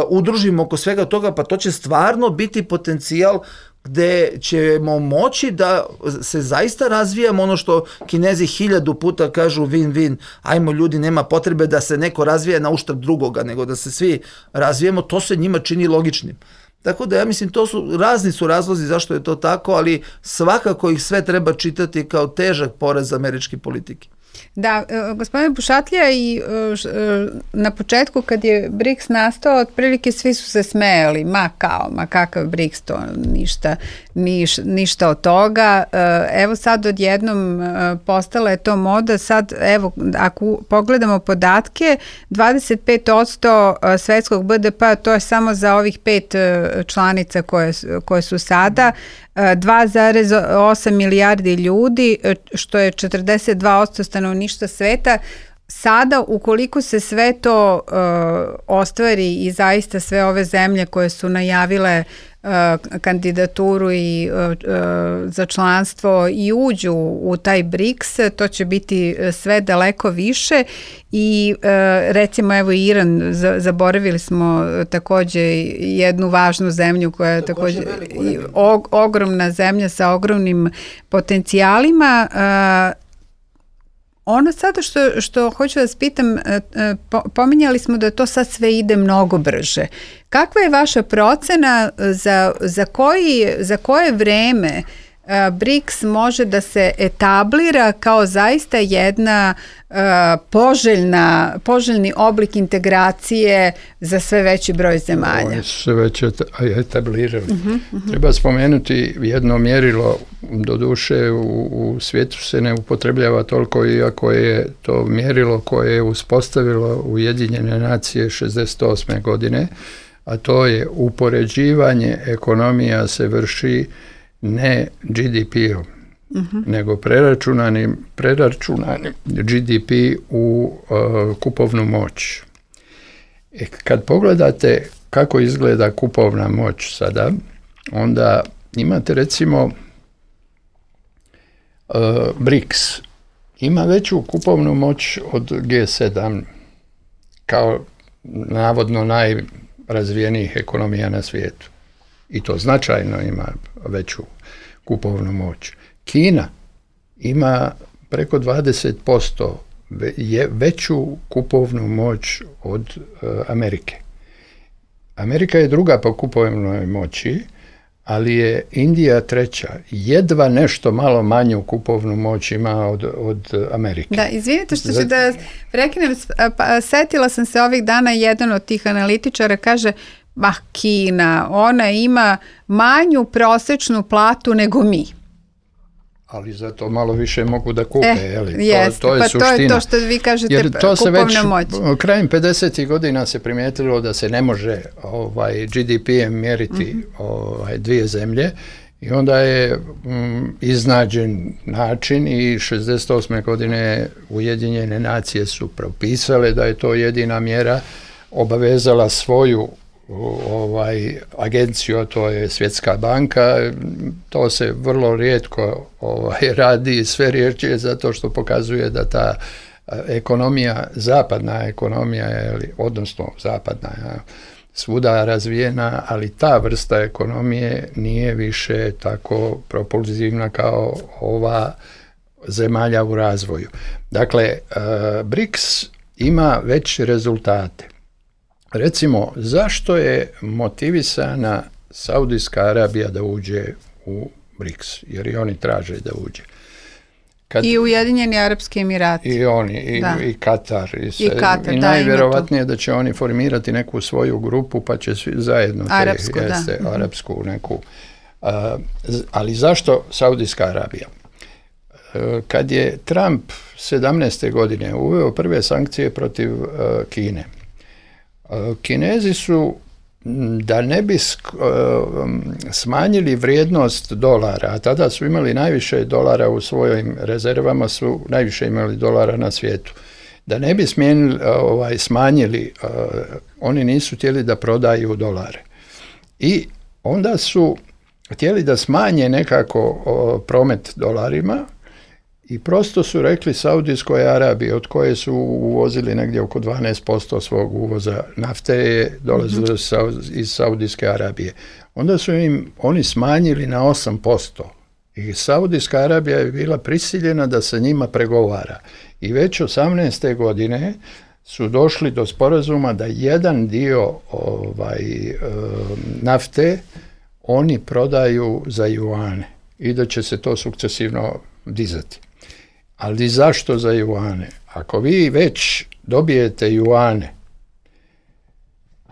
udružimo oko svega toga, pa to će stvarno biti potencijal gde ćemo moći da se zaista razvijamo, ono što Kinezi 1000 puta kažu win-win, ajmo ljudi, nema potrebe da se neko razvija na uštrb drugoga, nego da se svi razvijemo, to se njima čini logičnim. Tako da ja mislim, razni su razlozi zašto je to tako, ali svakako ih sve treba čitati kao težak poraz američke politike. Da, gospodine Bušatlija, i na početku kad je BRICS nastao, otprilike svi su se smejali, ma kakav BRICS, to ništa od toga. Evo sad odjednom postala je to moda, sad evo ako pogledamo podatke, 25% svetskog BDP-a, to je samo za ovih 5 članica koje su sada, 2,8 milijardi ljudi, što je 42% stanovništva sveta. Sada, ukoliko se sve to ostvari i zaista sve ove zemlje koje su najavile kandidaturu i za članstvo i uđu u taj BRICS, to će biti sve daleko više i recimo evo Iran, zaboravili smo takođe jednu važnu zemlju koja je takođe ogromna zemlja sa ogromnim potencijalima. Ono sada što hoću da vas pitam, pominjali smo da to sad sve ide mnogo brže. Kakva je vaša procena za koje vreme BRICS može da se etablira kao zaista jedna poželjni oblik integracije za sve veći broj zemalja? Oni su se već etablirali. Treba spomenuti jedno mjerilo, doduše u svijetu se ne upotrebljava toliko, iako je to mjerilo koje je uspostavilo Ujedinjene nacije 68. godine, a to je upoređivanje ekonomija se vrši ne GDP-om, nego preračunani GDP u kupovnu moć. Kad pogledate kako izgleda kupovna moć sada, onda imate recimo BRICS ima veću kupovnu moć od G7 kao navodno najrazvijenijih ekonomija na svijetu. I to značajno ima veću kupovnu moć. Kina ima preko 20% veću kupovnu moć od Amerike. Amerika je druga po kupovnoj moći, ali je Indija treća. Jedva nešto malo manju kupovnu moć ima od Amerike. Da, izvinite što ću da prekinem, setila sam se ovih dana, jedan od tih analitičara kaže, Kina, ona ima manju prosečnu platu nego mi. Ali zato malo više mogu da kupe, jeste, to je suština. To je to što vi kažete, jer to se već moć. Krajem 50. godina se primijetilo da se ne može GDP-em mjeriti dvije zemlje i onda je iznađen način i 68. godine Ujedinjene nacije su propisale da je to jedina mjera, obavezala svoju agenciju, a to je Svjetska banka. To se vrlo rijetko radi, sve riječi zato što pokazuje da ta ekonomija, zapadna ekonomija, odnosno zapadna, svuda razvijena, ali ta vrsta ekonomije nije više tako propulzivna kao ova zemalja u razvoju. Dakle, BRICS ima već rezultate. Recimo, zašto je motivisana Saudijska Arabija da uđe u BRICS? Jer i oni traže da uđe. I Ujedinjeni Arapski Emirati. I oni, i Katar. I najvjerovatnije da će oni formirati neku svoju grupu, pa će svi zajedno arapsku neku. Ali zašto Saudijska Arabija? Kad je Trump 17. godine uveo prve sankcije protiv Kine, Kinezi su, da ne bi smanjili vrijednost dolara, a tada su imali najviše dolara u svojim rezervama, su najviše imali dolara na svijetu. Da ne bi smanjili, oni nisu htjeli da prodaju dolare. I onda su htjeli da smanje nekako promet dolarima I prosto su rekli Saudijskoj Arabiji, od koje su uvozili negdje oko 12% svog uvoza nafte, je dolazilo iz Saudijske Arabije. Onda su im oni smanjili na 8%. I Saudijska Arabija je bila prisiljena da se njima pregovara. I već 18. godine su došli do sporazuma da jedan dio nafte oni prodaju za juane i da će se to sukcesivno dizati. Ali zašto za juane? Ako vi već dobijete juane,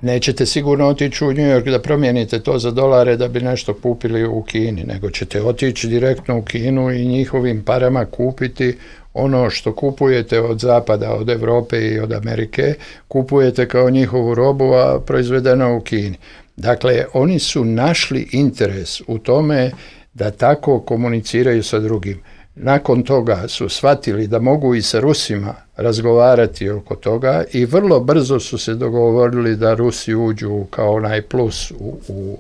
nećete sigurno otići u New York da promijenite to za dolare da bi nešto kupili u Kini, nego ćete otići direktno u Kinu i njihovim parama kupiti ono što kupujete od Zapada, od Europe i od Amerike, kupujete kao njihovu robu, a proizvedeno u Kini. Dakle, oni su našli interes u tome da tako komuniciraju sa drugim. Nakon toga su shvatili da mogu i sa Rusima razgovarati oko toga i vrlo brzo su se dogovorili da Rusi uđu kao onaj plus u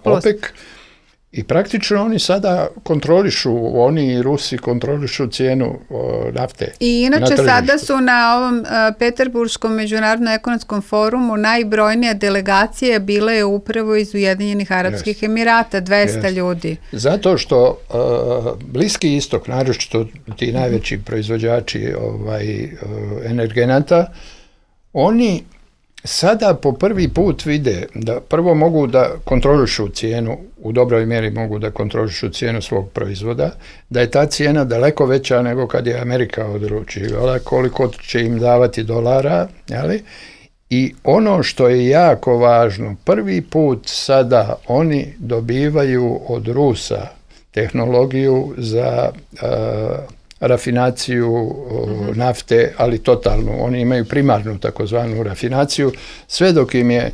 OPEC. I praktično oni sada kontrolišu, oni i Rusi kontrolišu cijenu nafte. I inače sada su na ovom Peterburškom međunarodnom ekonomskom forumu najbrojnija delegacija bila je upravo iz Ujedinjenih Arapskih Emirata, 200 ljudi. Zato što Bliski istok, naročito ti najveći proizvođači energenata, oni sada po prvi put vide da prvo mogu da kontrolišu cijenu, u dobroj mjeri mogu da kontrolišu cijenu svog proizvoda, da je ta cijena daleko veća nego kad je Amerika odlučivala koliko će im davati dolara, jeli? I ono što je jako važno, prvi put sada oni dobivaju od Rusa tehnologiju za rafinaciju nafte, ali totalnu. Oni imaju primarnu takozvanu rafinaciju, sve dok im je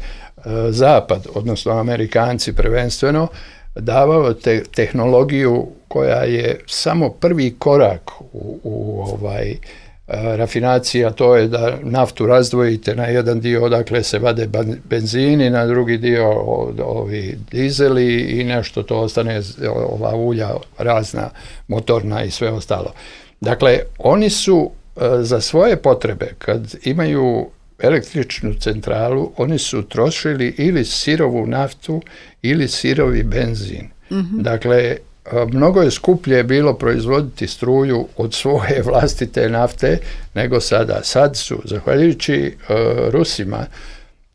Zapad, odnosno Amerikanci prvenstveno, davao tehnologiju koja je samo prvi korak u rafinaciji, a to je da naftu razdvojite na jedan dio odakle se vade benzini, na drugi dio ovi dizeli i nešto to ostane, ova ulja razna, motorna i sve ostalo. Dakle, oni su za svoje potrebe, kad imaju električnu centralu, oni su trošili ili sirovu naftu ili sirovi benzin. Dakle, mnogo je skuplje bilo proizvoditi struju od svoje vlastite nafte nego sada. Sad su, zahvaljujući Rusima,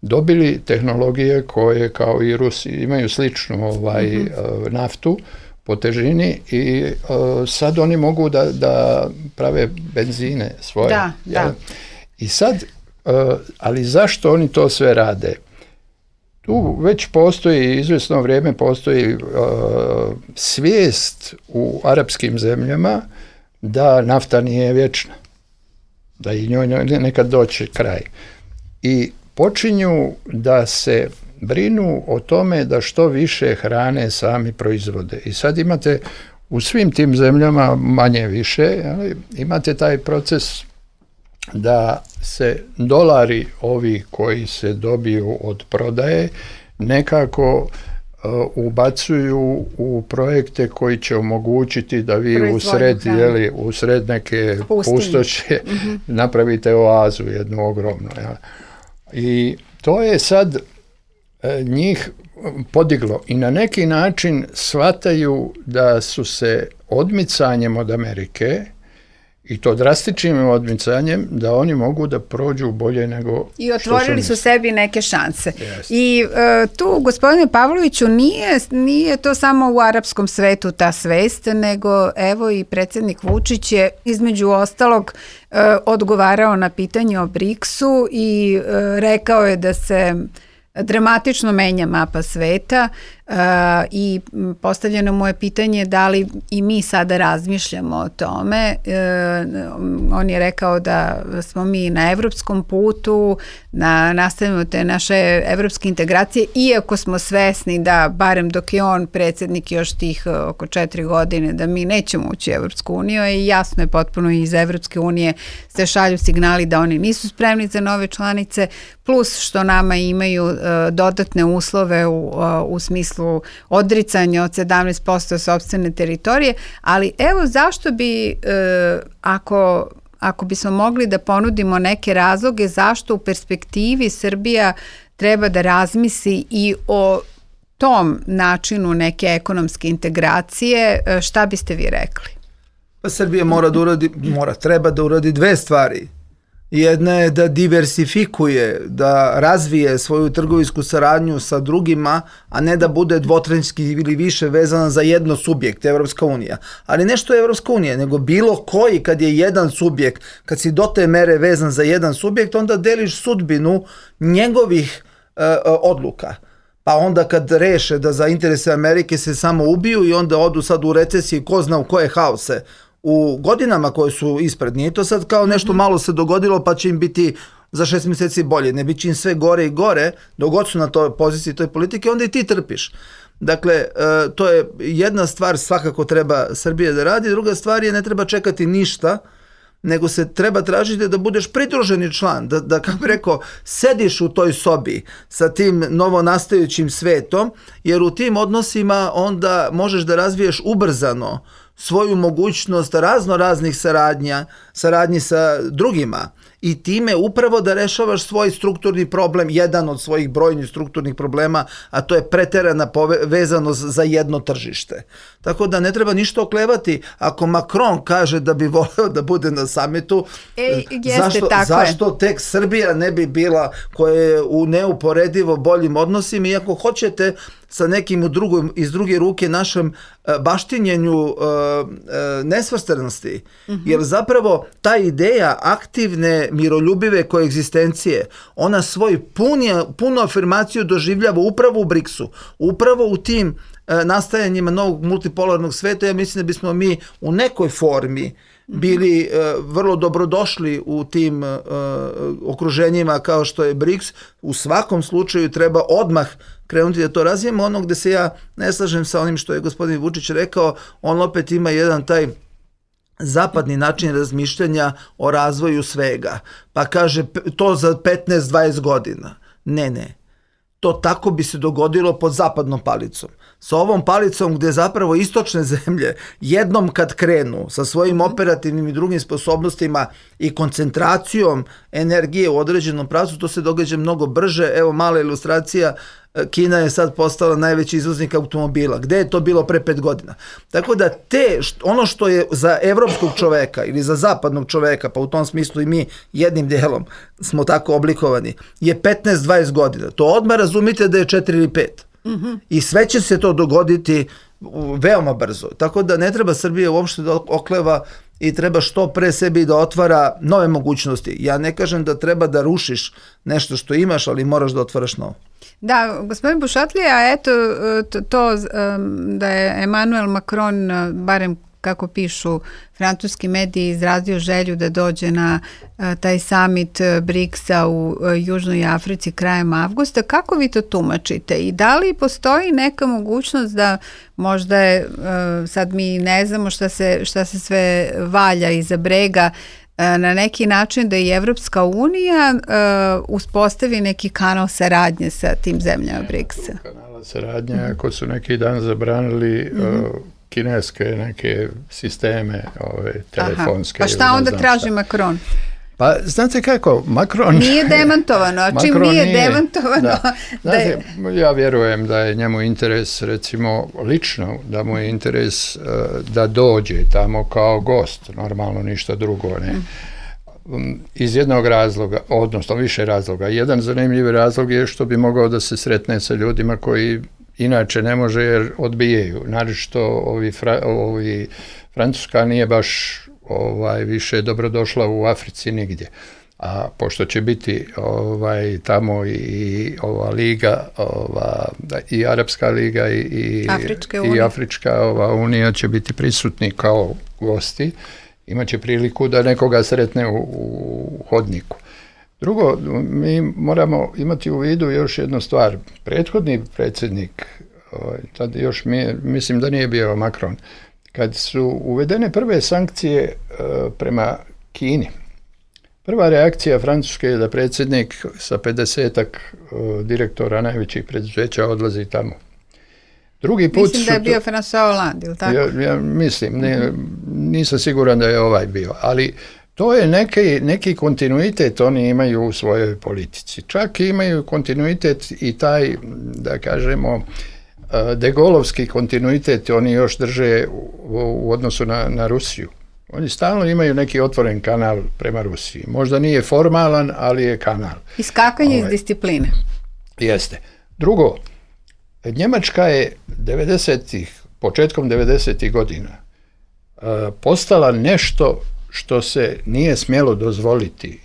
dobili tehnologije koje kao i Rusi imaju sličnu naftu po težini i sad oni mogu da prave benzine svoje. Da. I sad, ali zašto oni to sve rade? Tu već postoji, izvjesno vrijeme postoji svijest u arapskim zemljama da nafta nije vječna, da i njoj nekad doći kraj. I počinju da se brinu o tome da što više hrane sami proizvode. I sad imate u svim tim zemljama manje više, imate taj proces da se dolari ovi koji se dobiju od prodaje nekako ubacuju u projekte koji će omogućiti da vi usred neke pustoše napravite oazu jednu ogromnu. I to je sad njih podiglo i na neki način shvataju da su se odmicanjem od Amerike i to drastičnim odmicanjem da oni mogu da prođu bolje nego i otvorili su sebi neke šanse. Yes. I tu, gospodine Pavloviću, nije to samo u arapskom svetu ta svest, nego evo i predsjednik Vučić je između ostalog odgovarao na pitanje o BRICS-u i rekao je da se dramatično menja mapa sveta i postavljeno mu je pitanje da li i mi sada razmišljamo o tome. On je rekao da smo mi na evropskom putu, nastavimo te naše evropske integracije, iako smo svesni da, barem dok je on predsjednik još tih oko 4 godine, da mi nećemo ući u Evropsku uniju i jasno je potpuno iz Evropske unije se šalju signali da oni nisu spremni za nove članice, plus što nama imaju dodatne uslove u smislu smislu odricanja od 17% sopstvene teritorije, ali evo zašto bi, ako bismo mogli da ponudimo neke razloge zašto u perspektivi Srbija treba da razmisli i o tom načinu neke ekonomske integracije, šta biste vi rekli? Pa Srbija treba da uradi dve stvari. Jedna je da diversifikuje, da razvije svoju trgovinsku saradnju sa drugima, a ne da bude dvotrenski ili više vezana za jedno subjekt, Evropska unija. Ali ne što je Evropska unija, nego bilo koji, kad je jedan subjekt, kad si do te mere vezan za jedan subjekt, onda deliš sudbinu njegovih odluka. Pa onda kad reše da za interese Amerike se samo ubiju i onda odu sad u recesiji, ko zna u koje haose, u godinama koje su ispred. Nije to sad kao nešto malo se dogodilo pa će im biti za 6 mjeseci bolje. Ne bit će im sve gore i gore, dok god su na toj poziciji toj politike, onda i ti trpiš. Dakle, to je jedna stvar svakako treba Srbija da radi. Druga stvar je ne treba čekati ništa, nego se treba tražiti da budeš pridruženi član, da kako bi rekao, sediš u toj sobi sa tim novonastajućim svetom, jer u tim odnosima onda možeš da razviješ ubrzano svoju mogućnost raznih saradnji sa drugima i time upravo da rešavaš svoj strukturni problem, jedan od svojih brojnih strukturnih problema, a to je preterana vezanost za jedno tržište. Tako da ne treba ništa oklevati. Ako Macron kaže da bi voleo da bude na samitu, zašto tek Srbija ne bi bila koja je u neuporedivo boljim odnosima, i ako hoćete sa nekim iz druge ruke našem baštinjenju nesvrstanosti. Jer zapravo ta ideja aktivne miroljubive koegzistencije, ona svoju punu afirmaciju doživljava upravo u BRICS-u, upravo u tim nastajanjima novog multipolarnog sveta. Ja mislim da bismo mi u nekoj formi bili vrlo dobrodošli u tim okruženjima kao što je BRICS. U svakom slučaju treba odmah krenuti da to razvijemo. Ono gde se ja ne slažem sa onim što je gospodin Vučić rekao, on opet ima jedan taj zapadni način razmišljanja o razvoju svega. Pa kaže to za 15-20 godina. Ne. To tako bi se dogodilo pod zapadnom palicom. Sa ovom palicom gde zapravo istočne zemlje jednom kad krenu sa svojim operativnim i drugim sposobnostima i koncentracijom energije u određenom pravcu, to se događa mnogo brže. Evo mala ilustracija, Kina je sad postala najveći izvoznik automobila. Gde je to bilo pre 5 godina? Tako da ono što je za evropskog čoveka ili za zapadnog čoveka, pa u tom smislu i mi jednim delom smo tako oblikovani, je 15-20 godina. To odmah razumite da je 4 ili 5. I sve će se to dogoditi veoma brzo. Tako da ne treba Srbija uopšte da okleva i treba što pre sebi da otvara nove mogućnosti. Ja ne kažem da treba da rušiš nešto što imaš, ali moraš da otvaraš novo. Da, gospodin Bušatlija, eto to da je Emmanuel Macron, barem kako pišu francuski mediji, izrazio želju da dođe na taj summit BRICS-a u Južnoj Africi krajem avgusta. Kako vi to tumačite i da li postoji neka mogućnost da možda je, sad mi ne znamo šta se sve valja iza brega, na neki način da i Evropska unija uspostavi neki kanal saradnje sa tim zemljama BRICS-a? Kanala saradnje, ako su neki dan zabranili kineske neke sisteme telefonske. Pa šta onda traži Macron? Pa znate kako, Macron... Nije demantovano, a čim nije demantovano... Znate, ja vjerujem da je njemu interes, recimo lično, da mu je interes da dođe tamo kao gost, normalno ništa drugo, ne. Iz jednog razloga, odnosno više razloga. Jedan zanimljiv razlog je što bi mogao da se sretne sa ljudima koji inače ne može jer odbijaju. Naročito ovi Francuska nije baš više dobrodošla u Africi nigdje. A pošto će biti tamo i ova liga, i Arapska liga i Afrička unija će biti prisutni kao gosti, imaće priliku da nekoga sretne u hodniku. Drugo, mi moramo imati u vidu još jednu stvar. Prethodni predsjednik, tad još mislim da nije bio Macron, kad su uvedene prve sankcije prema Kini, prva reakcija Francuske je da predsjednik sa 50-ak direktora najvećih preduzeća odlazi tamo. Drugi put mislim da je bio François Hollande, ili tako? Ja mislim, nisam siguran da je ovaj bio, ali to je neki kontinuitet oni imaju u svojoj politici. Čak imaju kontinuitet i taj, da kažemo, de Gaulleovski kontinuitet oni još drže u odnosu na Rusiju. Oni stalno imaju neki otvoren kanal prema Rusiji. Možda nije formalan, ali je kanal. Iskakanje iz discipline. Jeste. Drugo, Njemačka je početkom 90. godina postala nešto što se nije smjelo dozvoliti.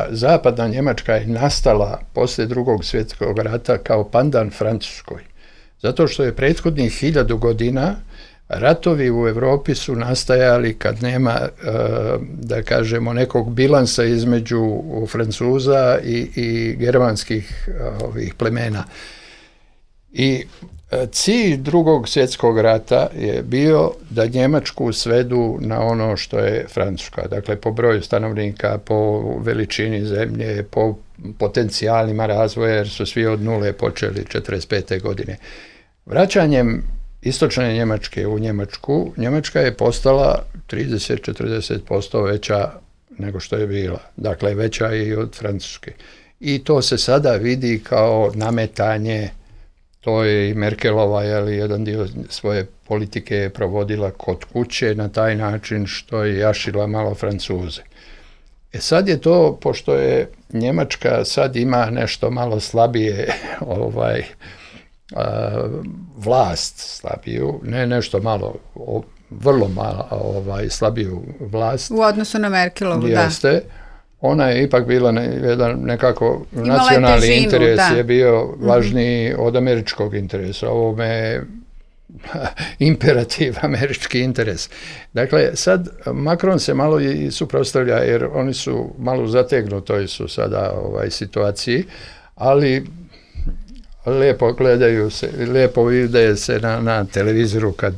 Zapadna Njemačka je nastala poslije Drugog svjetskog rata kao pandan Francuskoj. Zato što je prethodnih 1000 godina ratovi u Europi su nastajali kad nema, da kažemo, nekog bilansa između Francuza i germanskih plemena. I cilj Drugog svjetskog rata je bio da Njemačku svedu na ono što je Francuska. Dakle, po broju stanovnika, po veličini zemlje, po potencijalima razvoja, jer su svi od nule počeli 1945. godine. Vraćanjem istočne Njemačke u Njemačku, Njemačka je postala 30-40% veća nego što je bila. Dakle, veća i od Francuske. I to se sada vidi kao nametanje. To je i Merkelova, jedan dio svoje politike je provodila kod kuće na taj način što je jašila malo Francuze. Sad je to, pošto je Njemačka sad ima nešto malo slabije vlast slabiju, ne nešto malo, vrlo malo slabiju vlast. U odnosu na Merkelovu, jeste, da. Ona je ipak bila nekako nacionalni težinu, interes je bio važniji od američkog interesa. Ovo me imperativ američki interes. Dakle, sad Macron se malo i suprotstavlja jer oni su malo zategnutoj su sada situaciji, ali lijepo gledaju se, lijepo vide se na televizoru kad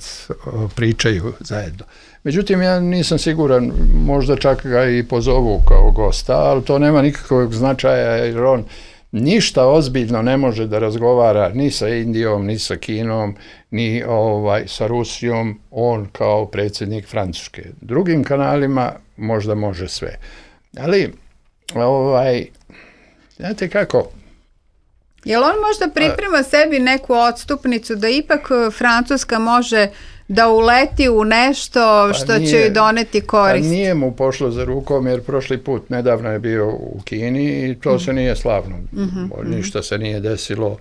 pričaju zajedno. Međutim, ja nisam siguran, možda čak ga i pozovu kao gosta, ali to nema nikakvog značaja jer on ništa ozbiljno ne može da razgovara ni sa Indijom, ni sa Kinom, ni sa Rusijom, on kao predsjednik Francuske. Drugim kanalima možda može sve. Ali, znate kako? Jel on možda priprema sebi neku odstupnicu da ipak Francuska može da uleti u nešto što će joj doneti korist? Pa nije mu pošlo za rukom jer prošli put nedavno je bio u Kini i to se nije slavno. Ništa se nije desilo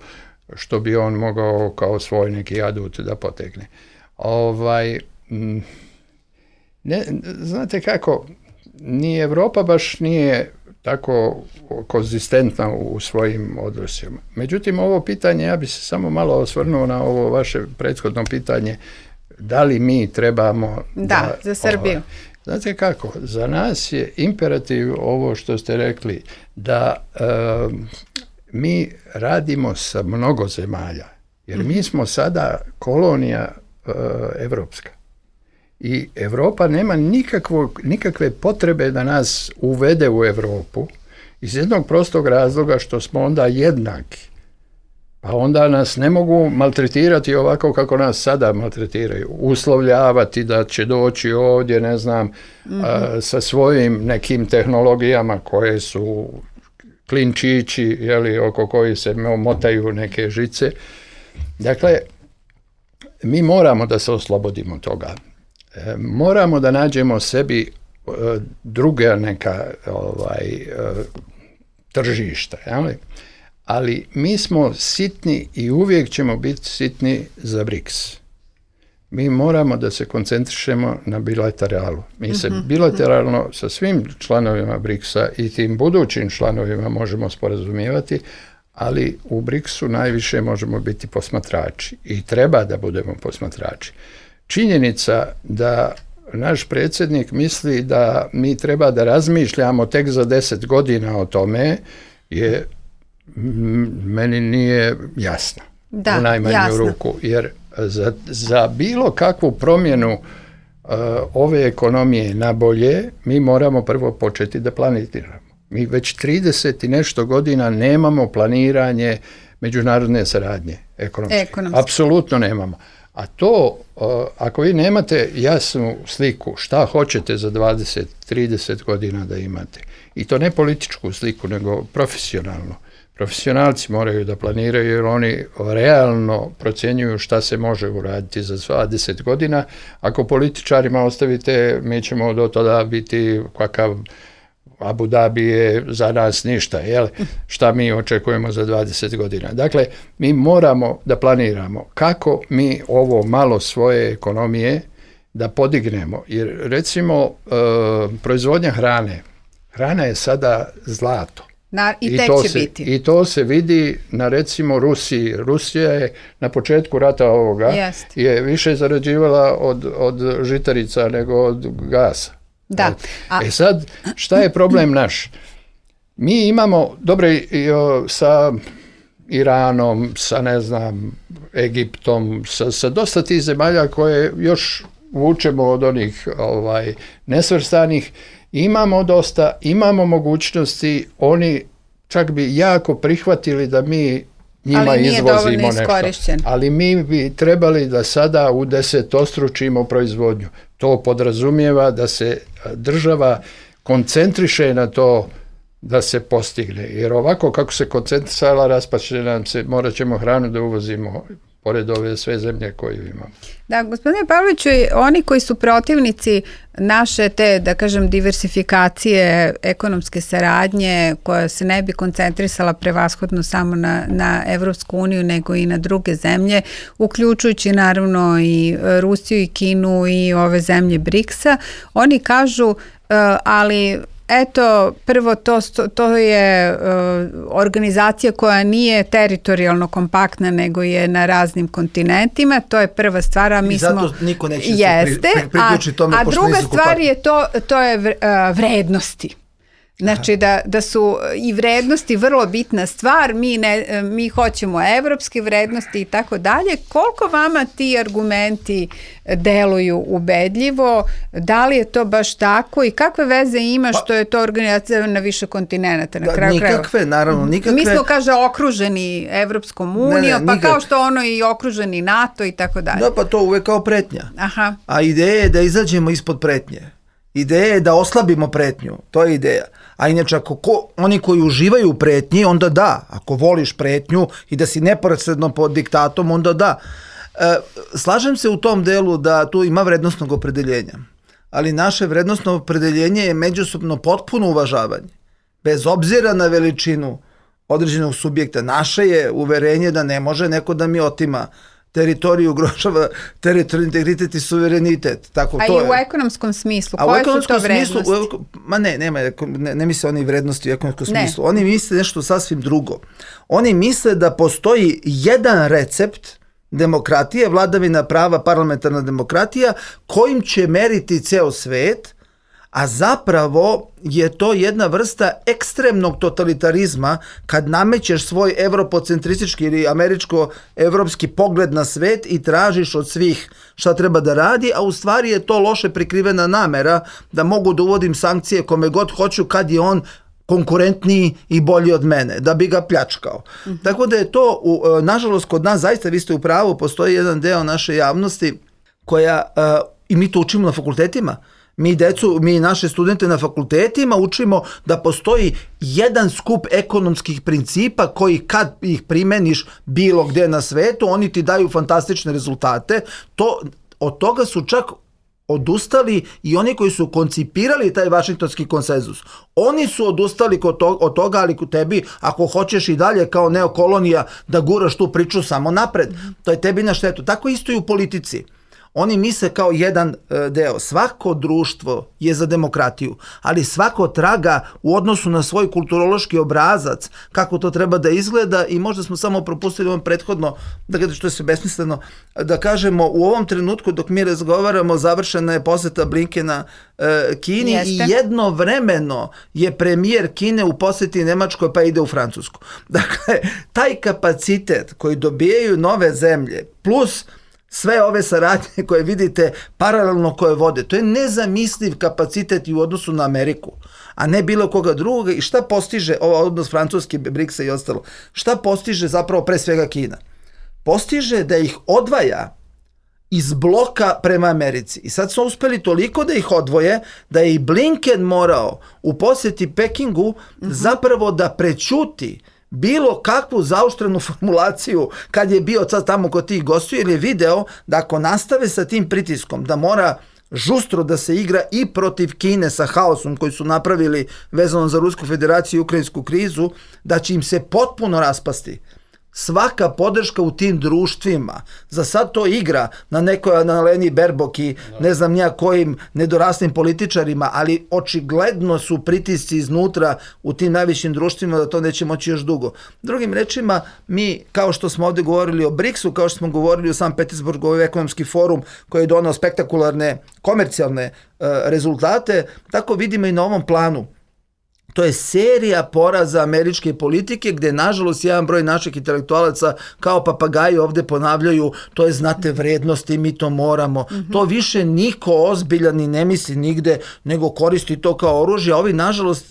što bi on mogao kao svoj neki adut da potegne. Znate kako, ni Europa baš nije tako konzistentna u svojim odnosima. Međutim, ovo pitanje, ja bi se samo malo osvrnuo na ovo vaše prethodno pitanje, da li mi trebamo... Da, za Srbiju. Znate kako, za nas je imperativ ovo što ste rekli, da mi radimo sa mnogo zemalja, jer mi smo sada kolonija evropska. I Europa nema nikakve potrebe da nas uvede u Europu iz jednog prostog razloga što smo onda jednaki. Pa onda nas ne mogu maltretirati ovako kako nas sada maltretiraju. Uslovljavati da će doći ovdje, ne znam, sa svojim nekim tehnologijama koje su klinčići, oko koji se motaju neke žice. Dakle, mi moramo da se oslobodimo toga. Moramo da nađemo sebi druga neka tržišta, ali mi smo sitni i uvijek ćemo biti sitni za BRICS. Mi moramo da se koncentrišemo na bilateralu. Mi se bilateralno sa svim članovima BRICS-a i tim budućim članovima možemo sporazumijevati, ali u BRICS-u najviše možemo biti posmatrači i treba da budemo posmatrači. Činjenica da naš predsjednik misli da mi treba da razmišljamo tek za 10 godina o tome je meni nije jasna. U najmanju ruku. Jer za bilo kakvu promjenu ove ekonomije na bolje mi moramo prvo početi da planiramo. Mi već 30 i nešto godina nemamo planiranje međunarodne saradnje. ekonomski. Apsolutno nemamo. A to, ako vi nemate jasnu sliku šta hoćete za 20-30 godina da imate, i to ne političku sliku, nego profesionalno. Profesionalci moraju da planiraju jer oni realno procjenjuju šta se može uraditi za 20 godina. Ako političarima ostavite, mi ćemo do tada biti kakav Abu Dhabi je za nas ništa, jel? Šta mi očekujemo za 20 godina. Dakle, mi moramo da planiramo kako mi ovo malo svoje ekonomije da podignemo. Jer recimo, proizvodnja hrana je sada zlato. I tek će biti. I to se vidi na recimo Rusiji. Rusija je na početku rata ovoga je više zarađivala od žitarica nego od gasa. Da. Sad, šta je problem naš? Mi imamo dobre sa Iranom, sa ne znam, Egiptom, sa dosta tih zemalja koje još vučemo od onih nesvrstanih. Imamo dosta, imamo mogućnosti, oni čak bi jako prihvatili da mi njima izvozimo nešto. Ali mi bi trebali da sada u 10-ostručimo proizvodnju. To podrazumijeva da se država koncentriše na to da se postigne. Jer ovako kako se koncentrisala, raspaće nam se, morat ćemo hranu da uvozimo pored ove sve zemlje koju imamo. Da, gospodine Pavloviću, oni koji su protivnici naše te, da kažem, diversifikacije ekonomske saradnje koja se ne bi koncentrisala prevashodno samo na Evropsku uniju nego i na druge zemlje, uključujući naravno i Rusiju i Kinu i ove zemlje BRICS-a, oni kažu, ali eto, prvo to je organizacija koja nije teritorijalno kompaktna nego je na raznim kontinentima, to je prva stvar, a mi i zato niko neće se priključiti tome. A druga stvar je to je vrednosti. Znači da su i vrednosti vrlo bitna stvar, mi hoćemo evropske vrednosti i tako dalje. Koliko vama ti argumenti deluju ubedljivo, da li je to baš tako i kakve veze ima što je to organizacija na više kontinenata? Nikakve, naravno, nikakve. Mi smo, kaže, okruženi Evropskom unijom, pa kao što ono i okruženi NATO i tako dalje. Da, pa to uvek kao pretnja. Aha. A ideja je da izađemo ispod pretnje. Ideja je da oslabimo pretnju, to je ideja. A inače, ako oni koji uživaju u pretnji, onda da. Ako voliš pretnju i da si neposredno pod diktatom, onda da. Slažem se u tom delu da tu ima vrednostnog opredeljenja. Ali naše vrednostno opredeljenje je međusobno potpuno uvažavanje. Bez obzira na veličinu određenog subjekta. Naše je uverenje da ne može neko da mi otima teritoriju, ugrožava teritorijalni integritet i suverenitet. Tako, i u ekonomskom smislu? Koje su to vrednosti? Ne misle oni vrednosti u ekonomskom smislu. Oni misle nešto sasvim drugo. Oni misle da postoji jedan recept demokratije, vladavina prava, parlamentarna demokratija, kojim će meriti ceo svet, a zapravo je to jedna vrsta ekstremnog totalitarizma kad namećeš svoj evropocentristički ili američko-evropski pogled na svet i tražiš od svih šta treba da radi, a u stvari je to loše prikrivena namera da mogu da uvodim sankcije kome god hoću kad je on konkurentniji i bolji od mene, da bi ga pljačkao. Tako da je to, nažalost, kod nas, zaista vi ste u pravu, postoji jedan deo naše javnosti koja, i mi to učimo na fakultetima, mi naše studente na fakultetima učimo da postoji jedan skup ekonomskih principa koji kad ih primeniš bilo gde na svetu, oni ti daju fantastične rezultate. Od toga su čak odustali i oni koji su koncipirali taj vašingtonski konsenzus. Oni su odustali od toga, ali kod tebi, ako hoćeš i dalje kao neokolonija da guraš tu priču samo napred, to je tebi na štetu. Tako isto i u politici. Oni misle kao jedan deo. Svako društvo je za demokratiju, ali svako traga u odnosu na svoj kulturološki obrazac, kako to treba da izgleda, i možda smo samo propustili ovom prethodno, što je sve besmisleno, da kažemo u ovom trenutku dok mi razgovaramo, završena je poseta Blinkena Kini. Jeste. I jednovremeno je premijer Kine u poseti Nemačkoj pa ide u Francusku. Dakle, taj kapacitet koji dobijaju nove zemlje plus sve ove saradnje koje vidite paralelno koje vode, to je nezamisliv kapacitet i u odnosu na Ameriku, a ne bilo koga drugoga. I šta postiže odnos Francuske, BRICS-a i ostalo? Šta postiže zapravo pre svega Kina? postiže da ih odvaja iz bloka prema Americi. I sad su uspeli toliko da ih odvoje da je i Blinken morao u posjeti Pekingu zapravo da prećuti bilo kakvu zaoštrenu formulaciju kad je bio sad tamo kod tih gostiju, jer je video da ako nastave sa tim pritiskom, da mora žustro da se igra i protiv Kine sa haosom koji su napravili vezano za Rusku federaciju i ukrajinsku krizu, da će im se potpuno raspasti svaka podrška u tim društvima. Za sad to igra na nekoj Annaleni Baerbock i ne znam nija kojim nedoraslim političarima, ali očigledno su pritisci iznutra u tim najvišim društvima da to neće moći još dugo. Drugim rečima, mi, kao što smo ovdje govorili o BRICS-u, kao što smo govorili o San Petersburgu, ovaj ekonomski forum koji je donao spektakularne komercijalne rezultate, tako vidimo i na ovom planu. To je serija poraza američke politike gdje, nažalost, jedan broj naših intelektualaca kao papagaji ovdje ponavljaju, to je, znate, vrednosti, mi to moramo. To više niko ozbiljan i ne misli nigde, nego koristi to kao oružje. A ovi, nažalost,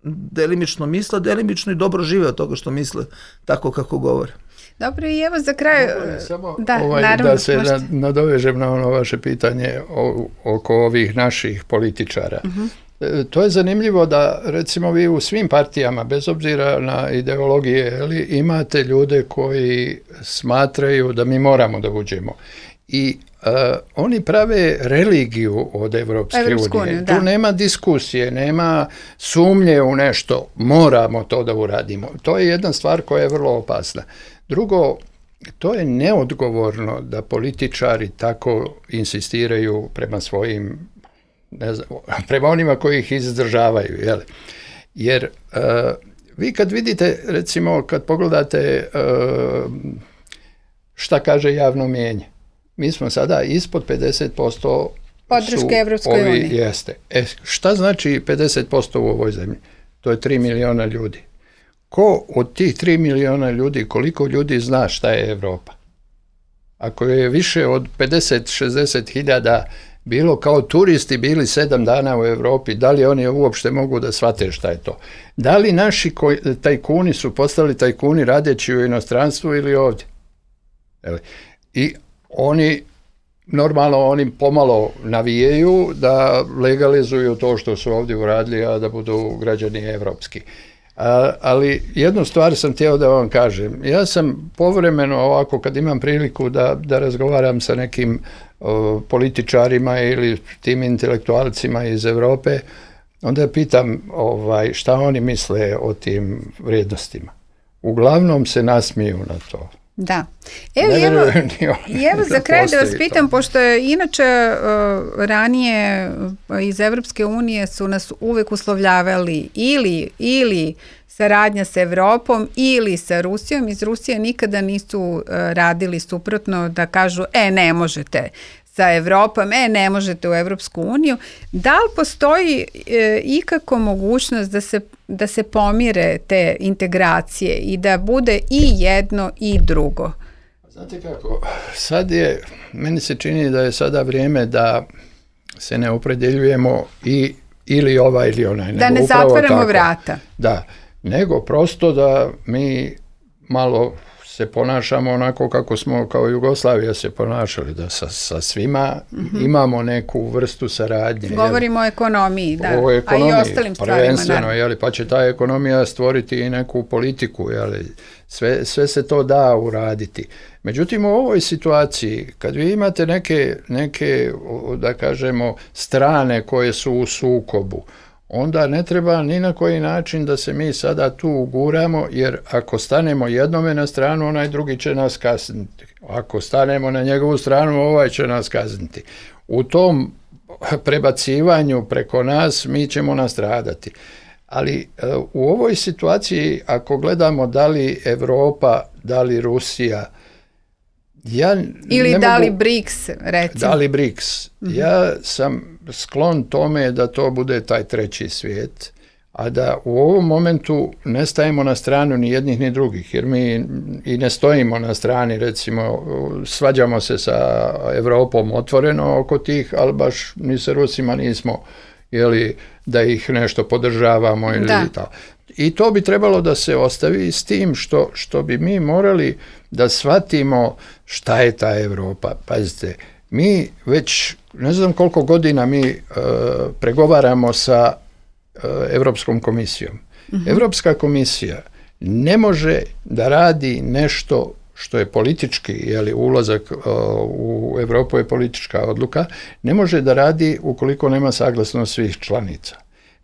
delimično misle, delimično i dobro žive od toga što misle, tako kako govore. Dobro, i evo za kraj... Samo da se nadovežem na ono vaše pitanje oko ovih naših političara. To je zanimljivo da, recimo, vi u svim partijama, bez obzira na ideologije, imate ljude koji smatraju da mi moramo da uđemo. I oni prave religiju od Evropske unije. Tu nema diskusije, nema sumnje u nešto. Moramo to da uradimo. To je jedna stvar koja je vrlo opasna. Drugo, to je neodgovorno da političari tako insistiraju prema svojim, ne znam, prema onima koji ih izdržavaju, jel? Jer vi kad vidite, recimo, kad pogledate šta kaže javno mnijenje, mi smo sada ispod 50% podrške Evropskoj uniji. Jeste. Šta znači 50% u ovoj zemlji? To je 3 miliona ljudi. Ko od tih 3 miliona ljudi, koliko ljudi zna šta je Evropa? Ako je više od 50-60 hiljada bilo kao turisti bili 7 dana u Europi, da li oni uopšte mogu da shvate šta je to? Da li naši tajkuni su postali tajkuni radeći u inostranstvu ili ovdje? I oni, normalno, oni pomalo navijaju da legalizuju to što su ovdje uradili, a da budu građani evropski. Ali jednu stvar sam htio da vam kažem. Ja sam povremeno ovako, kad imam priliku da razgovaram sa nekim političarima ili tim intelektualcima iz Europe, onda pitam šta oni misle o tim vrijednostima. Uglavnom se nasmiju na to. Da. Evo za kraj da vas pitam, pošto je inače ranije iz Evropske unije su nas uvek uslovljavali ili saradnja sa Evropom ili sa Rusijom. Iz Rusije nikada nisu radili suprotno, da kažu ne možete sa Evropom, ne možete u Evropsku uniju. Da li postoji ikako mogućnost da se pomire te integracije i da bude i jedno i drugo? Znate kako, meni se čini da je sada vrijeme da se ne opredjeljujemo ili ovaj ili onaj. Da ne zatvaramo vrata. Da, nego prosto da mi malo se ponašamo onako kako smo kao Jugoslavija se ponašali, da sa svima imamo neku vrstu saradnje. Govorimo o ekonomiji, da. O ekonomiji, a i ostalim stvarima. Prvenstveno, pa će ta ekonomija stvoriti i neku politiku, sve se to da uraditi. Međutim, u ovoj situaciji, kad vi imate neke, da kažemo, strane koje su u sukobu, onda ne treba ni na koji način da se mi sada tu uguramo, jer ako stanemo jednome na stranu, onaj drugi će nas kazniti. Ako stanemo na njegovu stranu, ovaj će nas kazniti. U tom prebacivanju preko nas mi ćemo nastradati. Ali u ovoj situaciji, ako gledamo da li Evropa, da li Rusija, ili da li BRICS, recimo. Da li BRICS. Ja sam sklon tome da to bude taj treći svijet, a da u ovom momentu ne stajemo na stranu ni jednih ni drugih, jer mi i ne stojimo na strani, recimo, svađamo se sa Evropom otvoreno oko tih, ali baš ni sa Rusima nismo da ih nešto podržavamo ili tako. I to bi trebalo da se ostavi s tim što bi mi morali da shvatimo šta je ta Europa. Pazite, mi već ne znam koliko godina mi pregovaramo sa Europskom komisijom. Europska komisija ne može da radi nešto što je politički, ulazak u Europu je politička odluka, ne može da radi ukoliko nema saglasnost svih članica.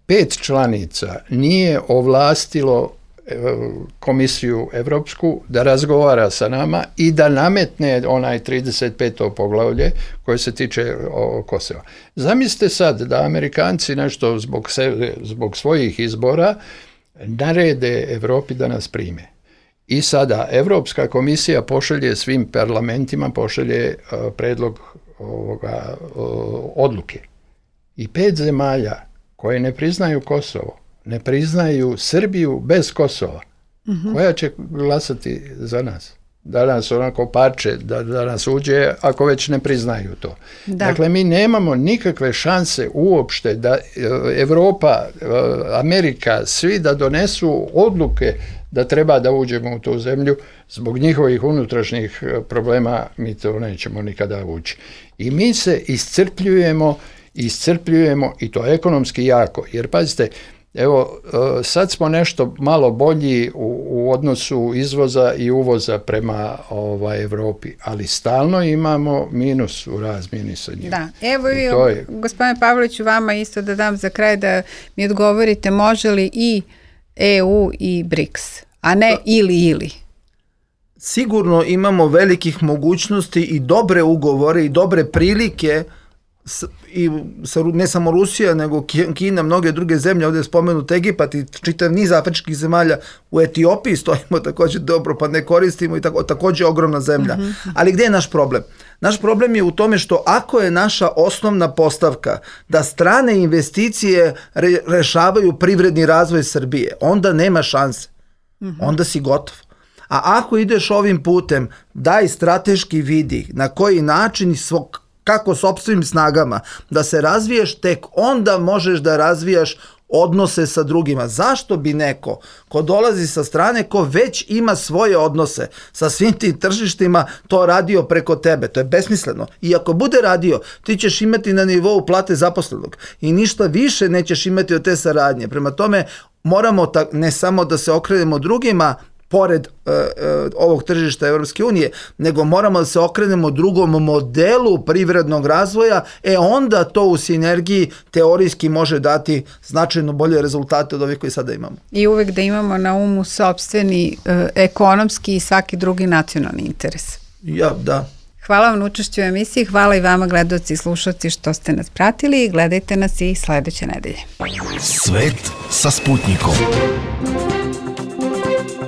5 članica nije ovlastilo komisiju Evropsku da razgovara sa nama i da nametne onaj 35. poglavlje koje se tiče Kosova. Zamislite sad da Amerikanci nešto zbog svojih izbora narede Evropi da nas prime. I sada Evropska komisija pošalje svim parlamentima, pošalje predlog odluke. I 5 zemalja koje ne priznaju Kosovo, ne priznaju Srbiju bez Kosova, koja će glasati za nas? Da nas onako parče, da nas uđe ako već ne priznaju to. Dakle, mi nemamo nikakve šanse uopšte da Evropa, Amerika, svi da donesu odluke da treba da uđemo u tu zemlju. Zbog njihovih unutrašnjih problema mi to nećemo nikada ući. I mi se iscrpljujemo i to ekonomski jako. Jer pazite, evo, sad smo nešto malo bolji u odnosu izvoza i uvoza prema Evropi, ali stalno imamo minus u razmjeni sa njima. Da, evo i gospodine Pavloviću, vama isto da dam za kraj da mi odgovorite, može li i EU i BRICS, a ne ili. Sigurno imamo velikih mogućnosti i dobre ugovore i dobre prilike i ne samo Rusija, nego Kina, mnoge druge zemlje, ovdje je spomenut Egipat i čitav niz afričkih zemalja. U Etiopiji stojimo također dobro, pa ne koristimo i također ogromna zemlja. Ali gdje je naš problem? Naš problem je u tome što ako je naša osnovna postavka da strane investicije rešavaju privredni razvoj Srbije, onda nema šanse. Onda si gotov. A ako ideš ovim putem, daj strateški vidi na koji način kako sopstvenim snagama da se razviješ, tek onda možeš da razvijaš odnose sa drugima. Zašto bi neko ko dolazi sa strane, ko već ima svoje odnose sa svim tim tržištima, to radio preko tebe? To je besmisleno. I ako bude radio, ti ćeš imati na nivou plate zaposlenog i ništa više nećeš imati od te saradnje. Prema tome, moramo ne samo da se okrenemo drugima pored ovog tržišta Europske unije, nego moramo da se okrenemo drugom modelu privrednog razvoja, onda to u sinergiji teorijski može dati značajno bolje rezultate od ovih koji sada imamo. I uvek da imamo na umu sopstveni ekonomski i svaki drugi nacionalni interes. Da. Hvala vam na učešću u emisiji, hvala i vama gledaoci i slušalci što ste nas pratili i gledajte nas i sledeće nedelje. Svet sa Sputnikom.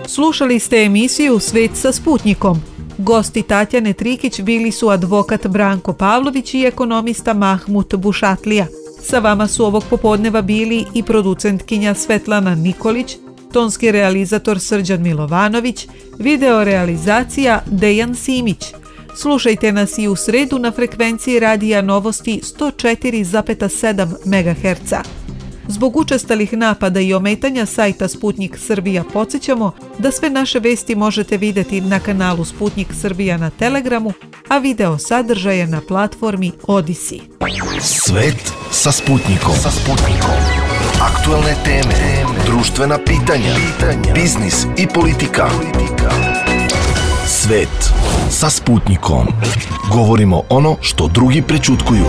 Slušali ste emisiju Svet sa Sputnikom. Gosti Tatjane Trikić bili su advokat Branko Pavlović i ekonomista Mahmut Bušatlija. Sa vama su ovog popodneva bili i producentkinja Svetlana Nikolić, tonski realizator Srđan Milovanović, video realizacija Dejan Simić. Slušajte nas i u sredu na frekvenciji Radija Novosti 104,7 MHz. Zbog učestalih napada i ometanja sajta Sputnik Srbija podsjećamo da sve naše vesti možete vidjeti na kanalu Sputnik Srbija na Telegramu, a video sadržaje na platformi Odisi. Svet sa Sputnikom. Aktualne teme, društvena pitanja, biznis i politika. Svet sa Sputnikom. Govorimo ono što drugi prećutkuju.